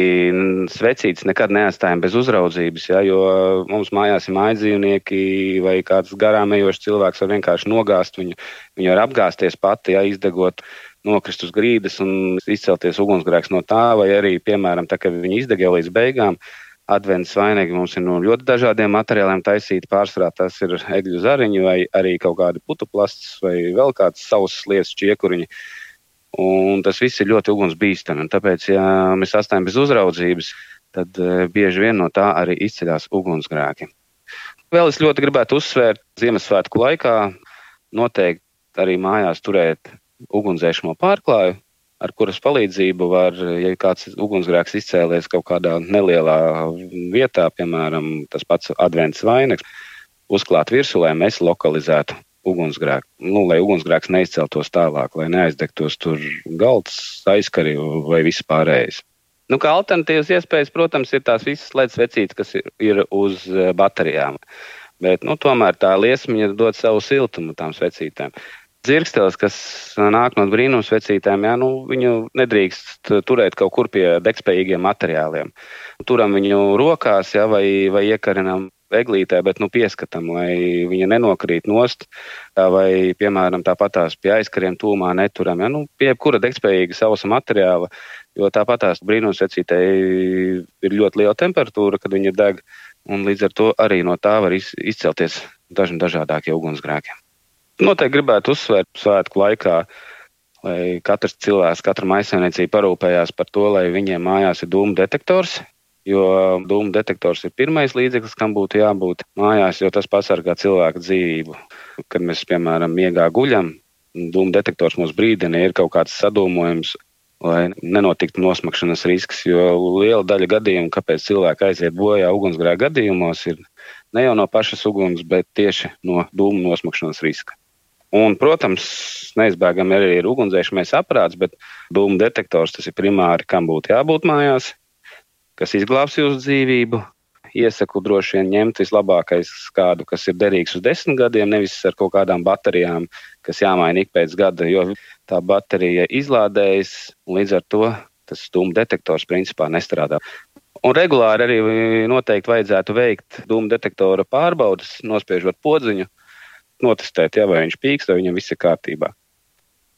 svecītes nekad neatstājam bez uzraudzības, ja, jo mums mājās ir mājdzīvnieki vai kāds garām ejošs cilvēks var vienkārši nogāzt viņu. Viņu var apgāzties pati, ja, izdegot, nokrist uz grīdas un izcelties ugunsgrēks no tā, vai arī, piemēram, tā, ka viņi izdeg jau līdz beigām, Advents vainagi mums ir no ļoti dažādiem materiāliem taisīti. Pārsvarā tas ir egļu zariņi vai arī kaut kādi putuplasts vai vēl kāds savs lietas čiekuriņi. Un tas viss ir ļoti ugunsbīstami. Tāpēc, ja mēs atstājam bez uzraudzības, tad bieži vien no tā arī izceļās ugunsgrēki. Vēl es ļoti gribētu uzsvērt, Ziemassvētku laikā noteikti arī mājās turēt ugunsdzēsamo pārklāju, ar kuras palīdzību var, ja kāds ugunsgrēks izcēlies kaut kādā nelielā vietā, piemēram, tas pats advents vainags, uzklāt virsū, lai mēs lokalizētu ugunsgrēku. Nu, lai ugunsgrēks neizceltos tālāk, lai neaizdegtos tur galds, aizkari vai viss pārējais. Nu, kā alternatīvas iespējas, protams, ir tās visas ledus vecītes, kas ir, ir uz baterijām. Bet, nu, tomēr tā liesmiņa dod savu siltumu tām svecītēm. Dzirkstelis, kas nāk no brīnums vecītēm, jā, nu, viņu nedrīkst turēt kaut kur pie degspējīgiem materiāliem. Turam viņu rokās, jā, vai, vai iekarinam eglītē, bet nu pieskatam, lai viņa nenokrīt nost, vai, piemēram, tāpatās pie aizkariem tūmā neturam, jā, nu, pie jebkura degspējīga sausa materiāla, jo tāpatās brīnums vecītē ir ļoti liela temperatūra, kad viņa deg, un līdz ar to arī no tā var izcelties daži dažādākie ugunsgrēki. Noteikti gribētu uzsvērt svētku laikā, lai katrs cilvēks, katra maisaimniecība parūpējās par to, lai viņiem mājās ir dūmu detektors, jo dūmu detektors ir pirmais līdzeklis, kam būtu jābūt mājās, jo tas pasargā cilvēku dzīvību. Kad mēs, piemēram, miegā guļam, dūmu detektors mūs brīdina, ir kaut kāds sadūmojums, lai nenotiktu nosmakšanas risks, jo liela daļa gadījumu, kāpēc cilvēki aiziet bojā ugunsgrēku gadījumos, ir ne jau no pašas uguns, bet tieši no dūmu nosmakšanas riska. Un, protams, neizbēgami arī ir ugunsdzēsmais aparāts, bet dūmu detektors tas ir primāri, kam būtu jābūt mājās, kas izglābs jūsu dzīvību. Iesaku droši vien ņemt vislabākais kādu, kas ir derīgs uz desmit gadiem, nevis ar kaut kādām baterijām, kas jāmaina ik pēc gada, jo tā baterija izlādējas, un līdz ar to tas dūmu detektors principā nestrādā. Un regulāri arī noteikti vajadzētu veikt dūmu detektora pārbaudas, nospiežot podziņu, notestēt, ja, vai viņš pīkst, vai viņam viss ir kārtībā.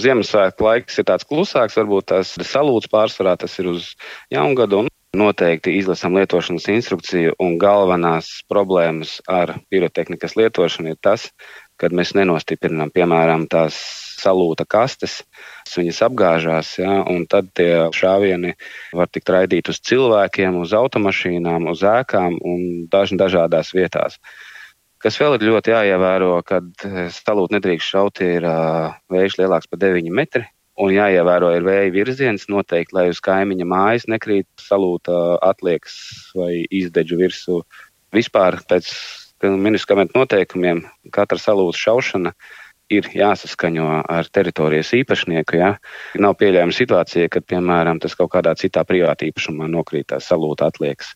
Ziemassvētku laiks ir tāds klusāks, varbūt tās salūts pārsvarā, tas ir uz jaungadu, un noteikti izlasam lietošanas instrukciju, un galvenās problēmas ar pirotehnikas lietošanu ir tas, kad mēs nenostiprinām, piemēram, tās salūta kastes, viņas apgāžās, ja, un tad tie šāvieni var tikt raidīt uz cilvēkiem, uz automašīnām, uz ēkām un daži dažādās vietās. Kas vēl ir ļoti jāievēro, kad salūtu nedrīkst šaut, ir uh, vējš lielāks par deviņi metri, un jāievēro ir vēja virziens noteikti, lai uz kaimiņa mājas nekrīt salūta atliekas vai izdedžu virsū. Vispār pēc ministramentu noteikumiem katra salūta šaušana ir jāsaskaņo ar teritorijas īpašnieku. Ja? Nav pieļaujama situācija, kad, piemēram, tas kaut kādā citā privāta īpašumā nokrītās salūta atliekas.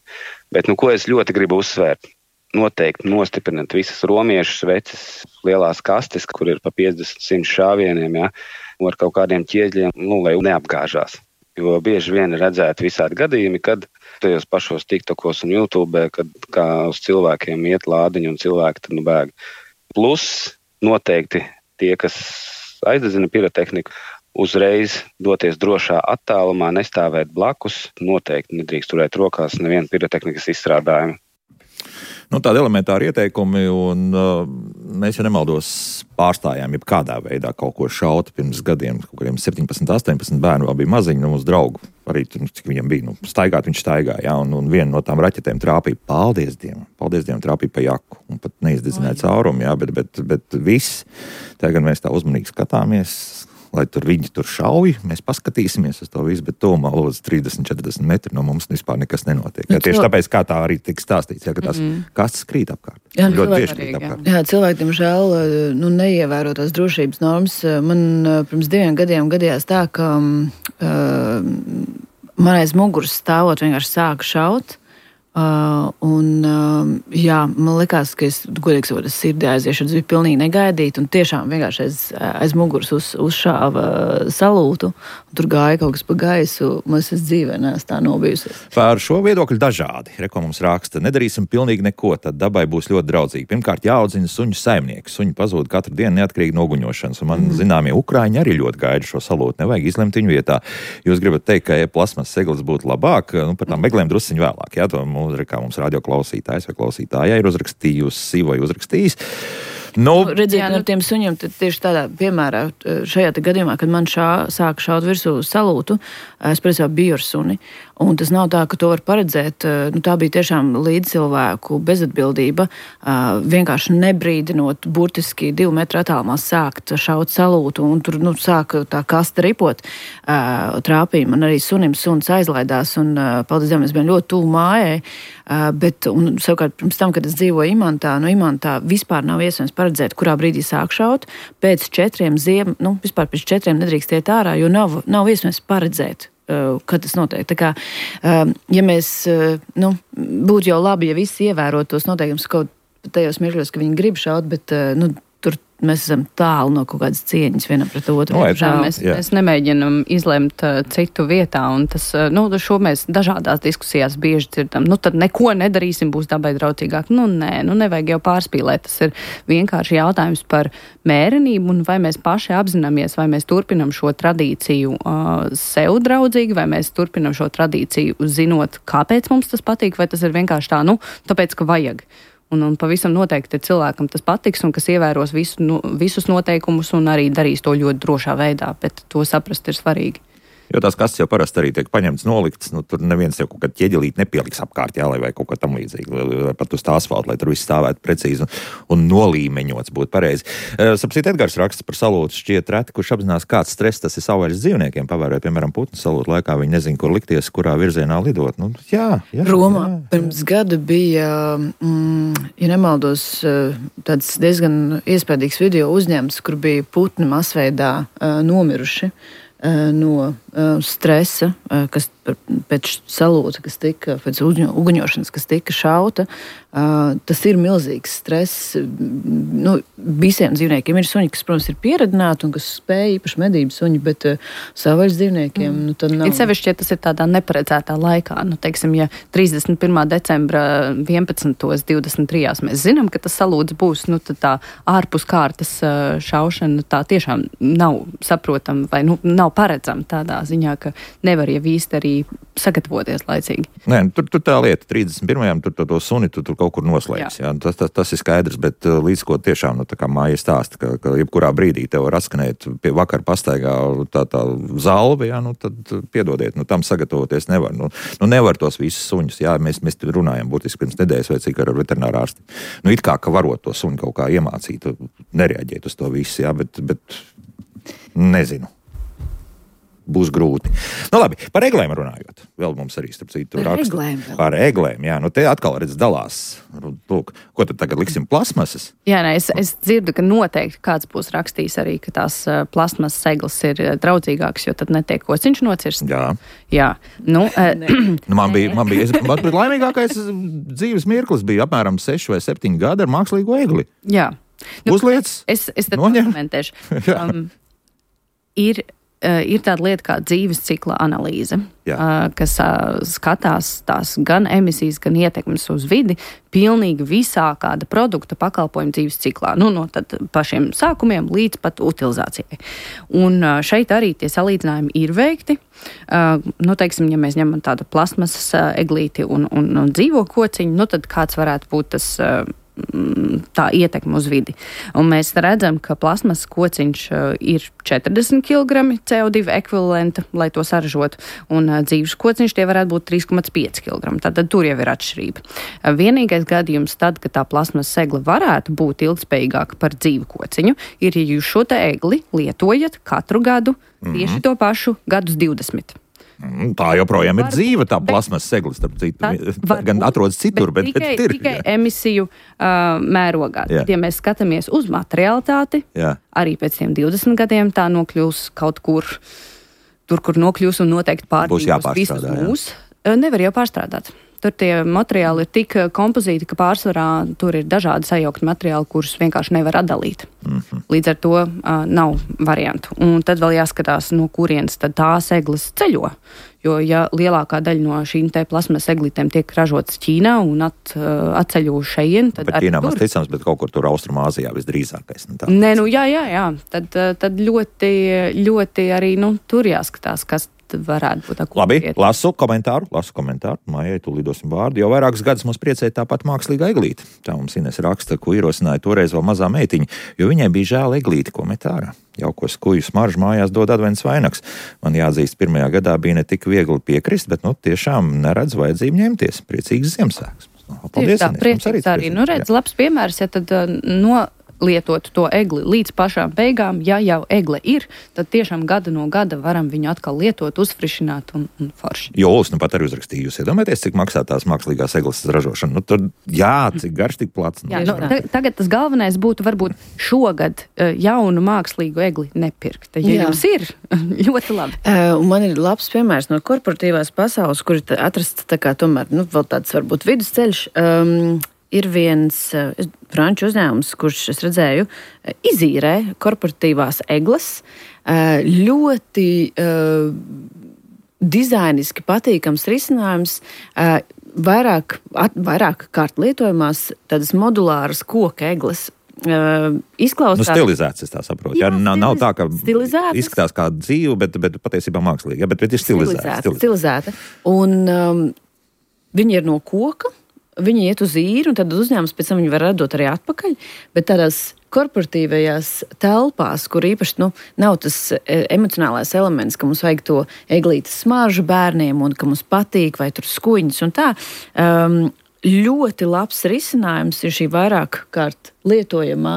Bet, nu, ko es ļoti gribu uzsvērt? Noteikti nostiprināt visas romiešu sveces, lielās kastes, kur ir pa piecdesmit simt šāvieniem, ja, ar kaut kādiem ķieģļiem, nu, lai neapgāžās. Jo bieži vien ir redzēti visādi gadījumi, kad tajos pašos TikTokos un YouTube, kad kā uz cilvēkiem iet lādiņi un cilvēki tad nu bēg. Plus noteikti tie, kas aizdedzina pirotehniku, uzreiz doties drošā attālumā, nestāvēt blakus, noteikti nedrīkst turēt rokās nevienu pirotehnikas izstrādājumu. Nu, tādi elementāri ieteikumi, un uh, mēs, ja nemaldos, pārstājām jebkādā veidā kaut ko šaut pirms gadiem, kaut kādiem septiņpadsmit, astoņpadsmit bērnu vēl bija maziņi, nu, mūsu draugu, arī, cik viņam bija, nu, staigāt viņš staigāja, jā, un, un viena no tām raķetēm trāpīja, paldies Dievam, paldies Dievam, trāpīja pa jaku, un pat neizdedzināja caurumu, jā, bet, bet, bet viss, tagad mēs tā uzmanīgi skatāmies, lai tur viņi tur šauj, mēs paskatīsimies uz to visu, bet tūmā lūdzu trīsdesmit četrdesmit metri no mums vispār nekas nenotiek. Jā, tieši tāpēc, kā tā arī tika stāstīts, jā, ka tās mm. kastes krīt apkārt. Jā, ļoti tieši krīt apkārt. Jā, cilvēki, diemžēl, nu, neievēro tās drošības normas. Man pirms diviem gadiem gadījās tā, ka uh, man aiz muguras stāvot vienkārši sāka šaut. Uh, un, uh, jā, man likās, ka es, godīgi sakot, es sirdī aiziešu, tas bija pilnīgi negaidīti, un tiešām vienkārši aiz, aiz muguras uz, uzšāva salūtu, un tur gāja kaut kas pa gaisu, man es dzīvē neesmu tā nobijusies. Par šo viedokļu dažādi. Reko mums raksta, nedarīsim pilnīgi neko, tad dabai būs ļoti draudzīgi. Pirmkārt, jāaudzina suņu saimnieki. Suņi pazūd katru dienu neatkarīgi no uguņošanas, un man mm. zināmie Ukraiņi arī ļoti gaida šo salūtu. Nevajag izlemt viņu vietā. Jūs gribat teikt, ka plasmas seglis būtu labāk, nu, par tām meglēm drusciņu vēlāk, jā, to nu, kā mums radio klausītājs vai klausītāja ir uzrakstījusi vai uzrakstījis. Nu, nu, redziet, jā, nu, ar tiem suņiem tieši tādā piemērā, šajā gadījumā, kad man šā, sāka šaut virsū salūtu, es principā biju ar suni. Un tas nav tā, ka to var paredzēt. Nu, tā bija tiešām līdzcilvēku bezatbildība. Vienkārši nebrīdinot, burtiski divu metru attālumā sākt šaut salūtu, un tur nu, sāka tā kasta ripot. Trāpīja man arī sunim, suns aizlaidās, un paldies Dievam, es biju ļoti tuvu mājai. Bet, un savukārt, pirms tam, kad es dzīvoju Imantā, no Imantā vispār nav iespējams paredzēt, kurā brīdī sāk šaut. Pēc četriem ziem, nu, vispār pēc četriem nedrīkst iet ārā, jo nav, nav iespējams paredzēt, kad tas notiek. Tā kā, ja mēs, nu, būtu jau labi, ja visi ievērot tos noteikumus kaut tajos mirkļos, ka viņi grib šaut, bet, nu, tur mēs esam tālu no kaut kādas cieņas vienam pret otru. No, jā, mēs, mēs nemēģinam izlemt uh, citu vietā, un tas, uh, nu, šo mēs dažādās diskusijās bieži dzirdam. Nu, tad neko nedarīsim, būs dabai draudzīgāk. Nu, nē, nu, nevajag jau pārspīlēt. Tas ir vienkārši jautājums par mērenību, un vai mēs paši apzināmies, vai mēs turpinam šo tradīciju uh, sev draudzīgi, vai mēs turpinam šo tradīciju zinot, kāpēc mums tas patīk, vai tas ir vienkārši tā, nu, tāpēc, ka vajag. Un, un pavisam noteikti cilvēkam tas patiks un kas ievēros visu, nu, visus noteikumus un arī darīs to ļoti drošā veidā, bet to saprast ir svarīgi. Jo tās kastes jau parasti arī tiek paņemts, nolikts, nu tur neviens jau kaut kādu ķieģelīti nepieliks apkārt, jā, lai vai kaut kā tam līdzīgi, pat uz tā asfalta, lai tur viss stāvētu precīzi un, un nolīmeņots būtu pareizi. Sapsīt, Edgars raksta par salūtu šķiet reti, kurš apzinās, kāds stress tas ir savvaļas dzīvniekiem, pavērojot, piemēram, putnu salūtu laikā, viņi nezin, kur likties, kurā virzienā lidot. Nu, jā, jā, Romā jā, jā. pirms gada bija, mm, ja nemaldos, tāds diezgan iespējīgs video uzņemts, kur bija putni masveidā uh, nomiruši no uh, stresa, uh, kas pēc salūta, kas tika, pēc uguņošanas, kas tika šauta. Uh, tas ir milzīgs stress. Nu, visiem dzīvniekiem ir suņi, kas, protams, ir pieredzināti un kas spēj īpaši medību suņi, bet uh, savvaļas dzīvniekiem mm. nu, tad nav. Ir sevišķi, ja tas ir tādā neparedzētā laikā. Nu, teiksim, ja trīsdesmit pirmā decembra vienpadsmitos divdesmit trijās mēs zinām, ka tas salūts būs, nu, tad tā ārpus kārtas uh, šaušana tā tiešām nav saprotama vai nu, nav paredzama tādā ziņā, ka nevar jau īsti arī sagatavoties laicīgi. Nē, tur, tur tā lieta, trīsdesmit pirmajam tur to, to suni tu, tur kaut kur noslēgs. Jā. Jā, tas, tas, tas ir skaidrs, bet līdz ko tiešām, nu, tā kā māja stāsta, ka, ka jebkurā brīdī tev var atskanēt pie vakar pastaigā tā, tā zalve, jā, nu, tad piedodiet, nu, tam sagatavoties nevar. Nu, nu nevar tos visus suņus, jā, mēs, mēs runājam būtiski pirms nedēļas vai cik ar veterinārā ārsti. Nu, it kā, ka varot to suni kaut kā iemācīt, nereaģēt uz to visu, jā, bet, bet nezinu. Būs grūti. Nu labi, par eglēm runājot. Vēl mums arī, starp citu, par raksta. Eglēm vēl. Par eglēm, jā. Nu te atkal redz dalās. Lūk, ko tad tagad liksim plasmasas? Jā, nē, es, es dzirdu, ka noteikti kāds būs rakstījis arī, ka tās uh, plasmasas egles ir draudzīgākas, jo tad netiek kociņš nocirst. Jā. Jā. Nu, uh, nu, man bija, man bija, es, man bija laimīgākais dzīves mirklis bija apmēram seši vai septiņi gadi ar mākslīgo egli. Jā. Nu, Uzliec, es, es tad noņem. komentēšu. Um, ir Uh, ir tāda lieta kā dzīves cikla analīze, uh, kas uh, skatās tās gan emisijas, gan ietekmes uz vidi pilnīgi visā kāda produkta pakalpojuma dzīves ciklā. Nu, no tad pašiem sākumiem līdz pat utilizācijai. Un uh, šeit arī tie salīdzinājumi ir veikti. Uh, nu, teiksim, ja mēs ņemam tādu plasmasas uh, eglīti un, un, un dzīvo kociņu, nu, tad kāds varētu būt tas uh, tā ietekme uz vidi. Un mēs redzam, ka plasmasas kociņš uh, ir četrdesmit kilogrami C O divi ekvivalenta, lai to saražotu, un uh, dzīves kociņš tie varētu būt trīs komats pieci kilogrami. Tātad tur jau ir atšķirība. Uh, vienīgais gadījums tad, ka tā plasmasas egla varētu būt ilgspējīgāka par dzīvu kociņu, ir, ja jūs šo te egli lietojat katru gadu tieši mm-hmm. to pašu gadus divdesmit. Tā joprojām ir dzīva, tā plasmasas segla, starp citu. Gan atrodas citur, bet, tikai, bet ir. Tikai emisiju uh, mērogā. Jā. Ja mēs skatāmies uz materiālitāti, jā. Arī pēc tiem divdesmit gadiem tā nokļūs kaut kur, tur, kur nokļūs un noteikti pārdzīvos visus mūs. Nevar jau pārstrādāt. Tur tie materiāli ir tik kompozīti, ka pārsvarā tur ir dažādi sajaukt materiāli, kurus vienkārši nevar atdalīt. Mm-hmm. Līdz ar to uh, nav variantu. Un tad vēl jāskatās, no kurienes tad tās egles ceļo. Jo, ja lielākā daļa no šīm te plasmasas eglītēm tiek ražotas Ķīnā un at, uh, atceļo šeien, tad bet Ķīnā maz ticams, bet kaut kur tur Austrumāzijā visdrīzākais. Nu, Nē, nu jā, jā, jā. Tad, tad ļoti, ļoti arī, nu, tur jāskatās, kas varētu būt tā. Labi, lasu komentāru, lasu komentāru. Mājai tu lidosim vārdu. Jau vairākus gadus mums priecēja tāpat mākslīga eglīte. Tā mums Ines raksta, ko ierosināja toreiz vēl mazā meitiņa, jo viņai bija žēl eglīti, ko met ārā. Jaukos kuju smaržu mājās dod advents vainags. Man jāatzīst, pirmajā gadā bija ne tik viegli piekrist, bet nu tiešām neredz vajadzību ņemties. Priecīgs Ziemassvētkus. Paldies, tā, priecīgs arī. Nu, redz, labs piemērs, ja tad no lietot to egli līdz pašām beigām, ja jau egle ir, tad tiešām gada no gada varam viņu atkal lietot, uzfrišināt un, un forši. Jo, es nu pat arī uzrakstīju, jūs iedomājaties, cik maksā tās mākslīgās egles ražošana. Nu, tad, jā, cik garš, tik plats. Jā, nu, ta, tagad tas galvenais būtu varbūt šogad jaunu mākslīgu egli nepirkt. Ja jā. Jums ir, ļoti labi. Uh, man ir labs piemērs no korporatīvās pasaules, kur ir atrasts tā kā tomēr, nu, vēl tāds varbūt vidusceļš. Um, Ir viens uh, franču uzņēmums, kurš, es redzēju, uh, izīrē korporatīvās egles. Uh, ļoti uh, dizainiski patīkams risinājums. Uh, vairāk, at, vairāk kārt lietojamās tādas modulāras koka egles. Uh, izklausās... Nu, stilizēts, es tā saprotu. Jā, jā, nav, nav tā, ka stilizētas. Izskatās kā dzīve, bet, bet patiesībā mākslīgi. Jā, bet, bet ir stilizēta. Stilizēta. stilizēta. Un um, viņi ir no koka. Viņi iet uz īru, un tad uzņēmums pēc tam viņi var radot arī atpakaļ, bet tādās korporatīvajās telpās, kur īpaši nu, nav tas emocionālais elements, ka mums vajag to eglītes smaržu bērniem un ka mums patīk, vai tur skuiņas un tā, um, ļoti labs risinājums ir šī vairāk kārt lietojamā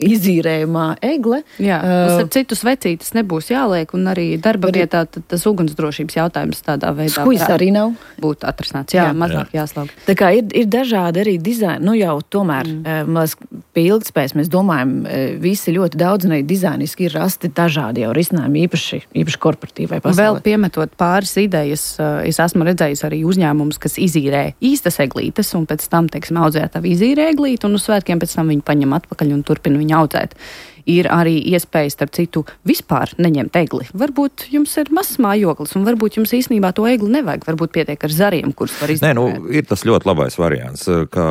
izīrējumā egle. Jā, uh, ar citus vecītes nebūs jāliek, un arī darba arī, vietā tas ugunsdrošības jautājums tādā veidā skujas arī nav būt atrisināts. Jā, jā, mazāk jā. Jāslauga. Tā kā ir, ir dažādi arī dizaini, nu jau tomēr, mm. mēs pie ilgtspējas mēs domājam, visi ļoti daudz, un arī dizainiski ir rasti dažādi jau risinājumi, īpaši, īpaši korporatīvai pasaulē. Vēl piemetot pāris idejas, es esmu redzējis arī uzņēmumus, kas izīrē īstas eglītes, un pēc tam, teiksim, audzētāji izīrē eglīti, un uz svētkiem pēc tam viņi paņem atpakaļ un turpina viņu audzēt. Ir arī iespējas, starp citu, vispār neņemt egli. Varbūt jums ir mazs mājoklis, un varbūt jums īstenībā to egli nevajag. Varbūt pietiek ar zariem, kurus var izdarīt. Nē, nu, ir tas ļoti labais variants, ka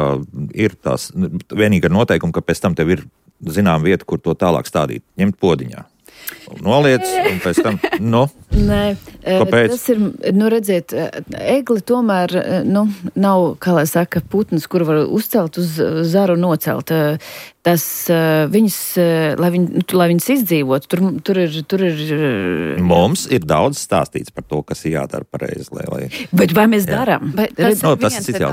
ir tās vienīgi ar noteikumu, ka pēc tam tev ir zinām vieta, kur to tālāk stādīt. Ņemt podiņā. Noliec, un pēc tam, nu, Nē, kāpēc? Tas ir, nu, redziet, egli tomēr, nu, nav, kā lai saka, putns, kur var uzcelt uz zaru nocelt. Tas viņas, lai, viņ, lai viņas izdzīvot, tur, tur ir, tur ir... Mums ir daudz stāstīts par to, kas ir jādara pareizi, lai... lai... Bet vai mēs darām? Bet tas, no, tas ir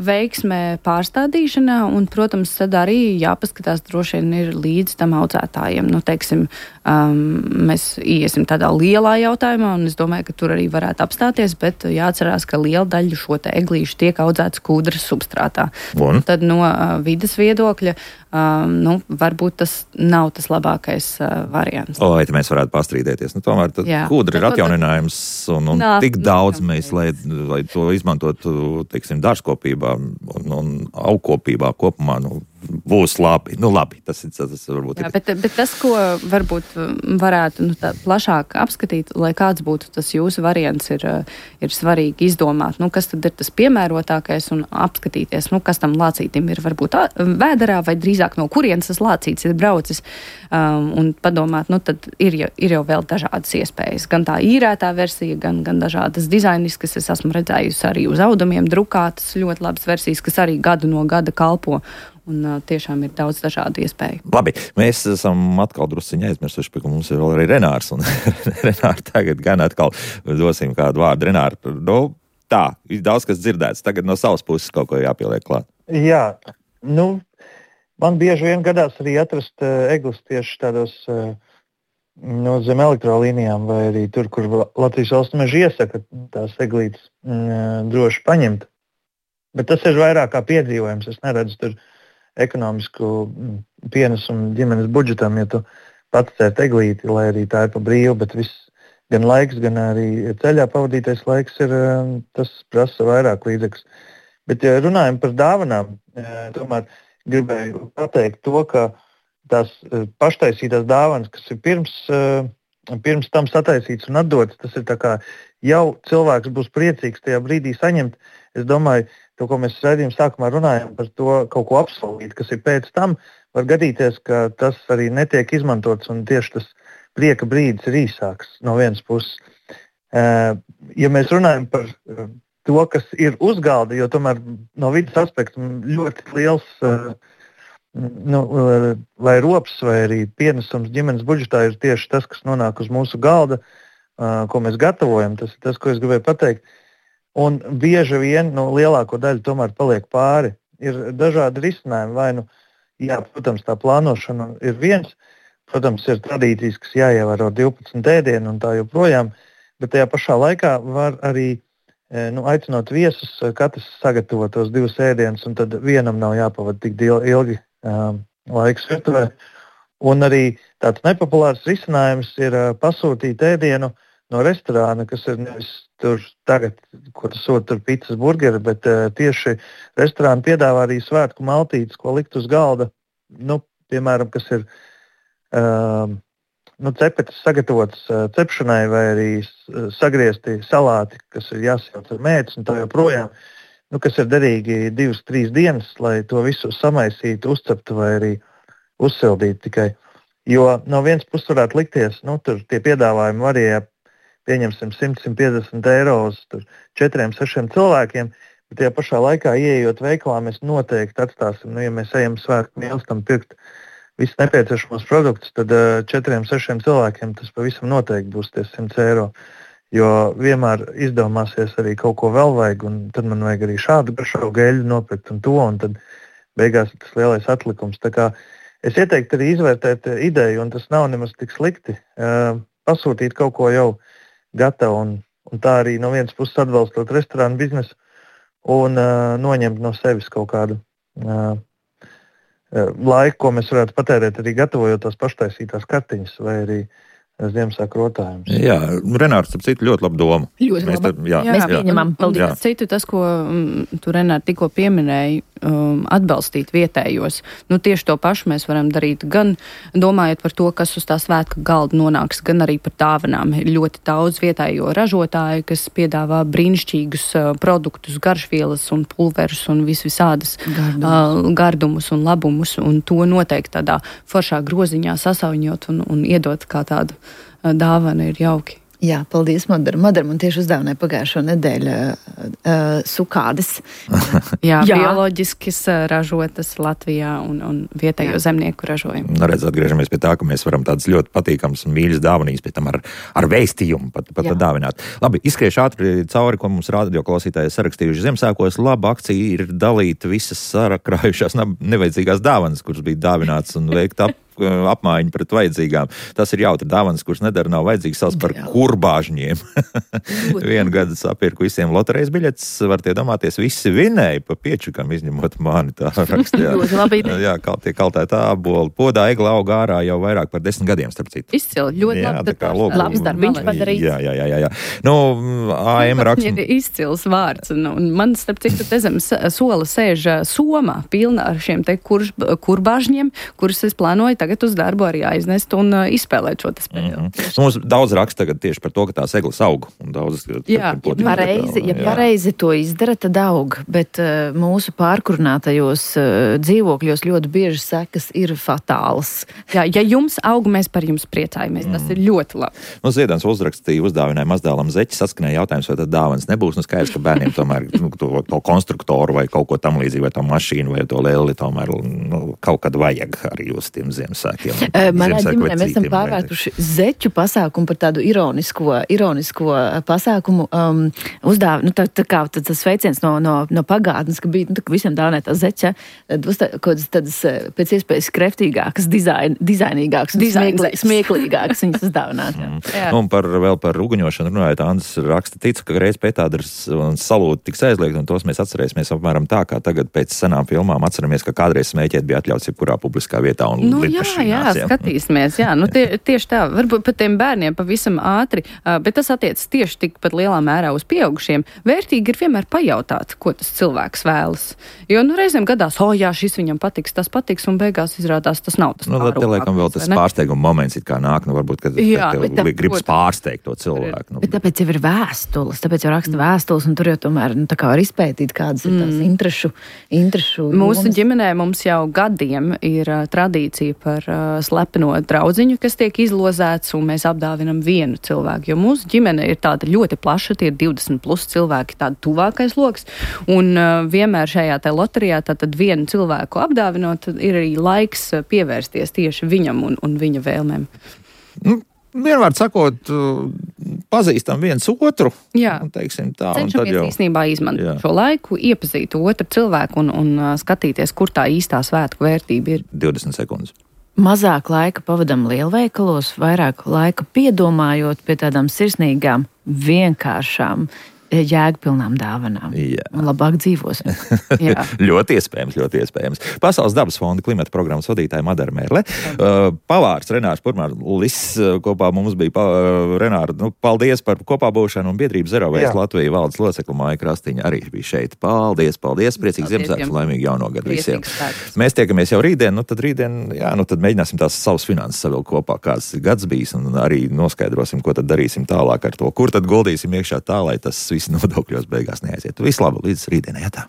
veiksmē pārstādīšanā, un, protams, tad arī jāpaskatās droši vien ir līdz tam audzētājiem. Nu, teiksim, um, mēs iesim tādā lielā jautājumā, un es domāju, ka tur arī varētu apstāties, bet jāatcerās, ka liela daļa šo te eglīšu tiek audzēts kūdras substrātā. Un? Tad no uh, vides viedokļa Um, nu, varbūt tas nav tas labākais uh, variants. O, vai mēs varētu pastrīdēties? Nu, tomēr kūdra ir atjauninājums, un, un nā, tik daudz nā, mēs, lai, lai to izmantotu, teiksim, dārzkopībā un, un augkopībā kopumā, nu, būs labi. Nu, labi, tas ir tas, varbūt. Jā, bet, bet tas, ko varbūt varētu nu, tā, plašāk apskatīt, lai kāds būtu tas jūsu variants, ir, ir svarīgi izdomāt, nu, kas tad ir tas piemērotākais un apskatīties, nu, kas tam lācītim ir varbūt vēderā vai drīzāk no kurienes tas lācīts ir braucis, um, un padomāt, nu, tad ir jau, ir jau vēl dažādas iespējas. Gan tā īrētā versija, gan, gan dažādas dizainiskas, es esmu redzējusi arī uz audumiem drukātas ļoti labas versijas, kas arī gadu no gada kalpo. Un uh, tiešām ir daudz dažādu iespēju. Labi, mēs esam atkal drusciņi aizmirsuši, ka mums ir vēl arī Renārs. Un Renār, tagad gan atkal dosim kādu vārdu. Renār, nu, tā, daudz kas dzirdēts. Tagad no savas puses kaut ko jāpieliek klāt. Jā, nu, man bieži vien gadās arī atrast uh, eglis tieši tādos uh, no zem elektrolīnijām vai arī tur, kur Latvijas valsts meža iesaka tās eglītes uh, droši paņemt. Bet tas ir vairāk kā piedzīvojums. Es neredzu tur ekonomisku pienesumu ģimenes budžetam, ja tu pats cērt eglīti, lai arī tā ir pa brīvu, bet viss gan laiks, gan arī ceļā pavadītais laiks ir, tas prasa vairāk līdzekļus. Bet, ja runājam par dāvanām, tomēr gribēju pateikt to, ka tās paštaisītās dāvanas, kas ir pirms, pirms tam sataisīts un atdots, tas ir tā kā jau cilvēks būs priecīgs tajā brīdī saņemt. Es domāju, to, ko mēs raidījuma sākumā runājam par to kaut ko apsolīt, kas ir pēc tam, var gadīties, ka tas arī netiek izmantots un tieši tas prieka brīdis ir īsāks no vienas puses. Ja mēs runājam par to, kas ir uz galda, jo tomēr no vidas aspekta ļoti liels, nu, vai rops, vai arī pienesums ģimenes budžetā ir tieši tas, kas nonāk uz mūsu galda, ko mēs gatavojam. Tas ir tas, ko es gribēju pateikt. Un bieži vien nu, lielāko daļu tomēr paliek pāri. Ir dažādi risinājumi. Vai, nu, jā, protams, tā plānošana ir viens. Protams, ir tradīcijas, kas jāievēro divpadsmit ēdienu un tā joprojām. Bet tajā pašā laikā var arī nu, aicinot viesus, katrs sagatavot tos divus ēdienus, un tad vienam nav jāpavada tik ilgi um, laiks virtuvē. Un arī tāds nepopulārs risinājums ir uh, pasūtīt ēdienu no restorāna, kas ir nevis tur tagad, ko tas sūta tur pizzas, burgeri, bet uh, tieši restorāni piedāvā arī svētku maltītes, ko likt uz galda, nu, piemēram, kas ir uh, nu, cepetes sagatavotas uh, cepšanai vai arī uh, sagriezti salāti, kas ir jāsajauc ar mētas un tā joprojām, nu, kas ir derīgi divas, trīs dienas, lai to visu samaisītu, uzceptu vai arī uzsildītu tikai. Jo no vienas puses varētu likties, nu, tur tie piedāvājumi varēja, pieņemsim simt, simt piecdesmit eiro uz četriem, sešiem cilvēkiem, bet tajā pašā laikā, ieejot veikalā, mēs noteikti atstāsim, nu, ja mēs ejam svētku mīlestam pirkt visus nepieciešamos produktus, tad četriem, sešiem cilvēkiem tas pavisam noteikti būs tie simt eiro, jo vienmēr izdomāsies arī kaut ko vēl vajag, un tad man vajag arī šādu garšo geļu nopirkt un to, un tad beigās ir tas lielais atlikums. Tā kā es ieteiktu arī izvērtēt ideju, un tas nav nemaz tik slikti, pasūtīt kaut ko jau gatavu, un, un tā arī no vienas puses atbalstot restorānu biznesu un uh, noņemt no sevis kaut kādu uh, laiku, ko mēs varētu patērēt arī gatavojot tās paštaisītās kartiņas vai arī Ziemassvētku rotājumus. Jā, Renārs, ap citu, ļoti labu domu. Ļoti mēs labi. Tā, jā, mēs jā. pieņemam. Paldies. Jā. Citu tas, ko mm, tu, Renāri, tikko pieminēji, um, atbalstīt vietējos. Nu, tieši to pašu mēs varam darīt gan domājot par to, kas uz tā svētku galda nonāks, gan arī par dāvanām. Ir ļoti daudz vietējo ražotāju, kas piedāvā brīnišķīgus uh, produktus, garšvielas un pulverus un vis visādas gardumus. Uh, gardumus un labumus, un to noteikti tādā foršā groziņā sasauņot un, un iedot kā tādu dāvana ir jauki. Jā, paldies, Madara. Madara man tieši uzdāvināja pagājušo nedēļu uh, sukādes. Jā, Jā, bioloģiskas ražotas Latvijā un, un vietējo Jā. zemnieku ražojumu. Redz, atgriežamies pie tā, ka mēs varam tādas ļoti patīkamas un mīļas dāvanīs, pēc tam ar, ar vēstījumu pat, pat dāvināt. Labi, izskriešu ātri cauri, ko mums radio klausītāji sarakstījuši Ziemassvētkos. Laba akcija ir dalīt visas sarakrājušās nevajadzīgās dāvanas, kuras bija dāvināts un veikt ap apmaiņu pret vajadzīgām. Tas ir jautri dāvanas, kuras nedara, nav vajadzīgs savs par kurbāžņiem. Vienu gadu sapirku visiem loterejas biļetes, var tie domāties, visi vinēja pa piečukam, izņemot mani, tā rakstījā. Jā, kal, tie kaltēta āboli, podā egla auga ārā jau vairāk par desmit gadiem, starp citu. Izcili, ļoti jā, labi. Kā, lūk, labs darbiņš padarīts. Jā, jā, jā, jā, jā. Nu, A M raksts. Ir izcils vārds, un, un man, starp citu, te zem sola sēž soma pilna ar šiem te kur, kurbāžņiem, kurus es plānoju tagad uz darbu arī aiznest un uh, izspēlēt šo spēli. Mm -hmm. Mums daudz raksta tagad tieši par to, ka tās eglis aug. Daudz, jā, ja pareizi, ja pareizi to izdara, tad aug, bet uh, mūsu pārkurinātajos uh, dzīvokļos ļoti bieži sekas ir fatālas. Jā, ja jums aug, mēs par jums priecājamies. Tas mm. ir ļoti labi. Nu, Ziedants uzrakstīja, uzdāvināja mazdēlam zeķi, saskanēja jautājums, vai tad dāvans nebūs. Nu, skaidrs, ka bērniem tomēr nu, to, to konstruktoru vai kaut ko tam līdzīgi, vai to mašīnu vai to leli tomēr nu, kaut kad vajag arī uz tiem Ziemassvētkiem. Manā ģimenē mēs esam pārvērtuši zeķu pasākumu par tādu ironisko, ironisko pasākumu um, uzdāv, nu tā, tā kā tas sveiciens no, no, no pagātnes, ka bija, nu tā kā visiem dāvinēt tā zeķa, tad uzstā, kaut tādas pēc iespējas kreftīgākas, dizain, dizainīgākas, smieklī, smieklīgākas viņas uzdāvināt. Mm. Un par, vēl par uguņošanu runājot, Andris raksta, tic, ka reiz pētādars un salūti tiks aizliegt, un tos mēs atcerēsimies apmēram tā, kā tagad pēc senām filmām atceramies, ka kādreiz smēķēt bija atļauts jebkurā publiskā vietā un nu, jā, jā, skatīsimies, jā, nu tie, tieši tā, varbūt pat tiem bērniem pavisam ātri, bet tas attiec tieši tikpat lielā mērā uz pieaugušiem. Vērtīgi ir vienmēr pajautāt, ko tas cilvēks vēlas. Jo, nu, reizēm gadās, o, jā, šis viņam patiks, tas patiks, un beigās izrādās, tas nav tas. Nu, tad te liekam vēl tas pārsteiguma moments, it kā nāk, nu, varbūt, kad jā, tev gribas pārsteigt to cilvēku. Nu. Bet tāpēc jau ir vēstules, tāpēc jau raksta vēstules, un tur jau tomēr, nu, tā kā var izpētīt, kādas ir tās interešu, interešu Mūsu domas. ģimenē mums jau gadiem ir uh, tradīcija par par uh, slepeno draudziņu, kas tiek izlozēts, un mēs apdāvinam vienu cilvēku, jo mūsu ģimene ir tāda ļoti plaša, tie ir divdesmit plus cilvēki, tāda tuvākais loks, un uh, vienmēr šajā te loterijā tātad vienu cilvēku apdāvinot, ir arī laiks pievērsties tieši viņam un, un viņa vēlmēm. Nu, vienmēr sakot, pazīstam viens otru. Jā, un, teiksim, tā, cenšamies jau... īstenībā izmantot Jā. šo laiku, iepazīt otru cilvēku un, un uh, skatīties, kur tā īstā svētku vērtība ir. divdesmit sekundes. Mazāk laika pavadam lielveikalos, vairāk laika piedomājot pie tādām sirsnīgām, vienkāršām, jēgpilnām dāvanām. Jā. Un labāk dzīvosim. Jā. ļoti iespējams, ļoti iespējams. Pasaules dabas fonda klimata programmas vadītāja Madara Mērle. Uh, pavārs Renārs Purmārlis uh, kopā mums bija. Pa, uh, Renāra, nu, paldies par kopā būšanu un biedrību Zero Waste Latvija valdes locekla Maija Krastiņa arī bija šeit. Paldies, paldies. Priecīgs Ziemassvētkus un laimīgu jauno gadu visiem. Mēs tiekamies jau rītdien, nu tad rītdien, jā, nu tad mēģināsim tās savas finanses savilkt kopā, kāds gads bijis, un arī noskaidrosim, ko tad darīsim tālāk ar to. Kur tad guldīsim iekšā tā, lai tas viss nodokļos beigās neaiziet. Visu labu līdz rītdienai, jā tā.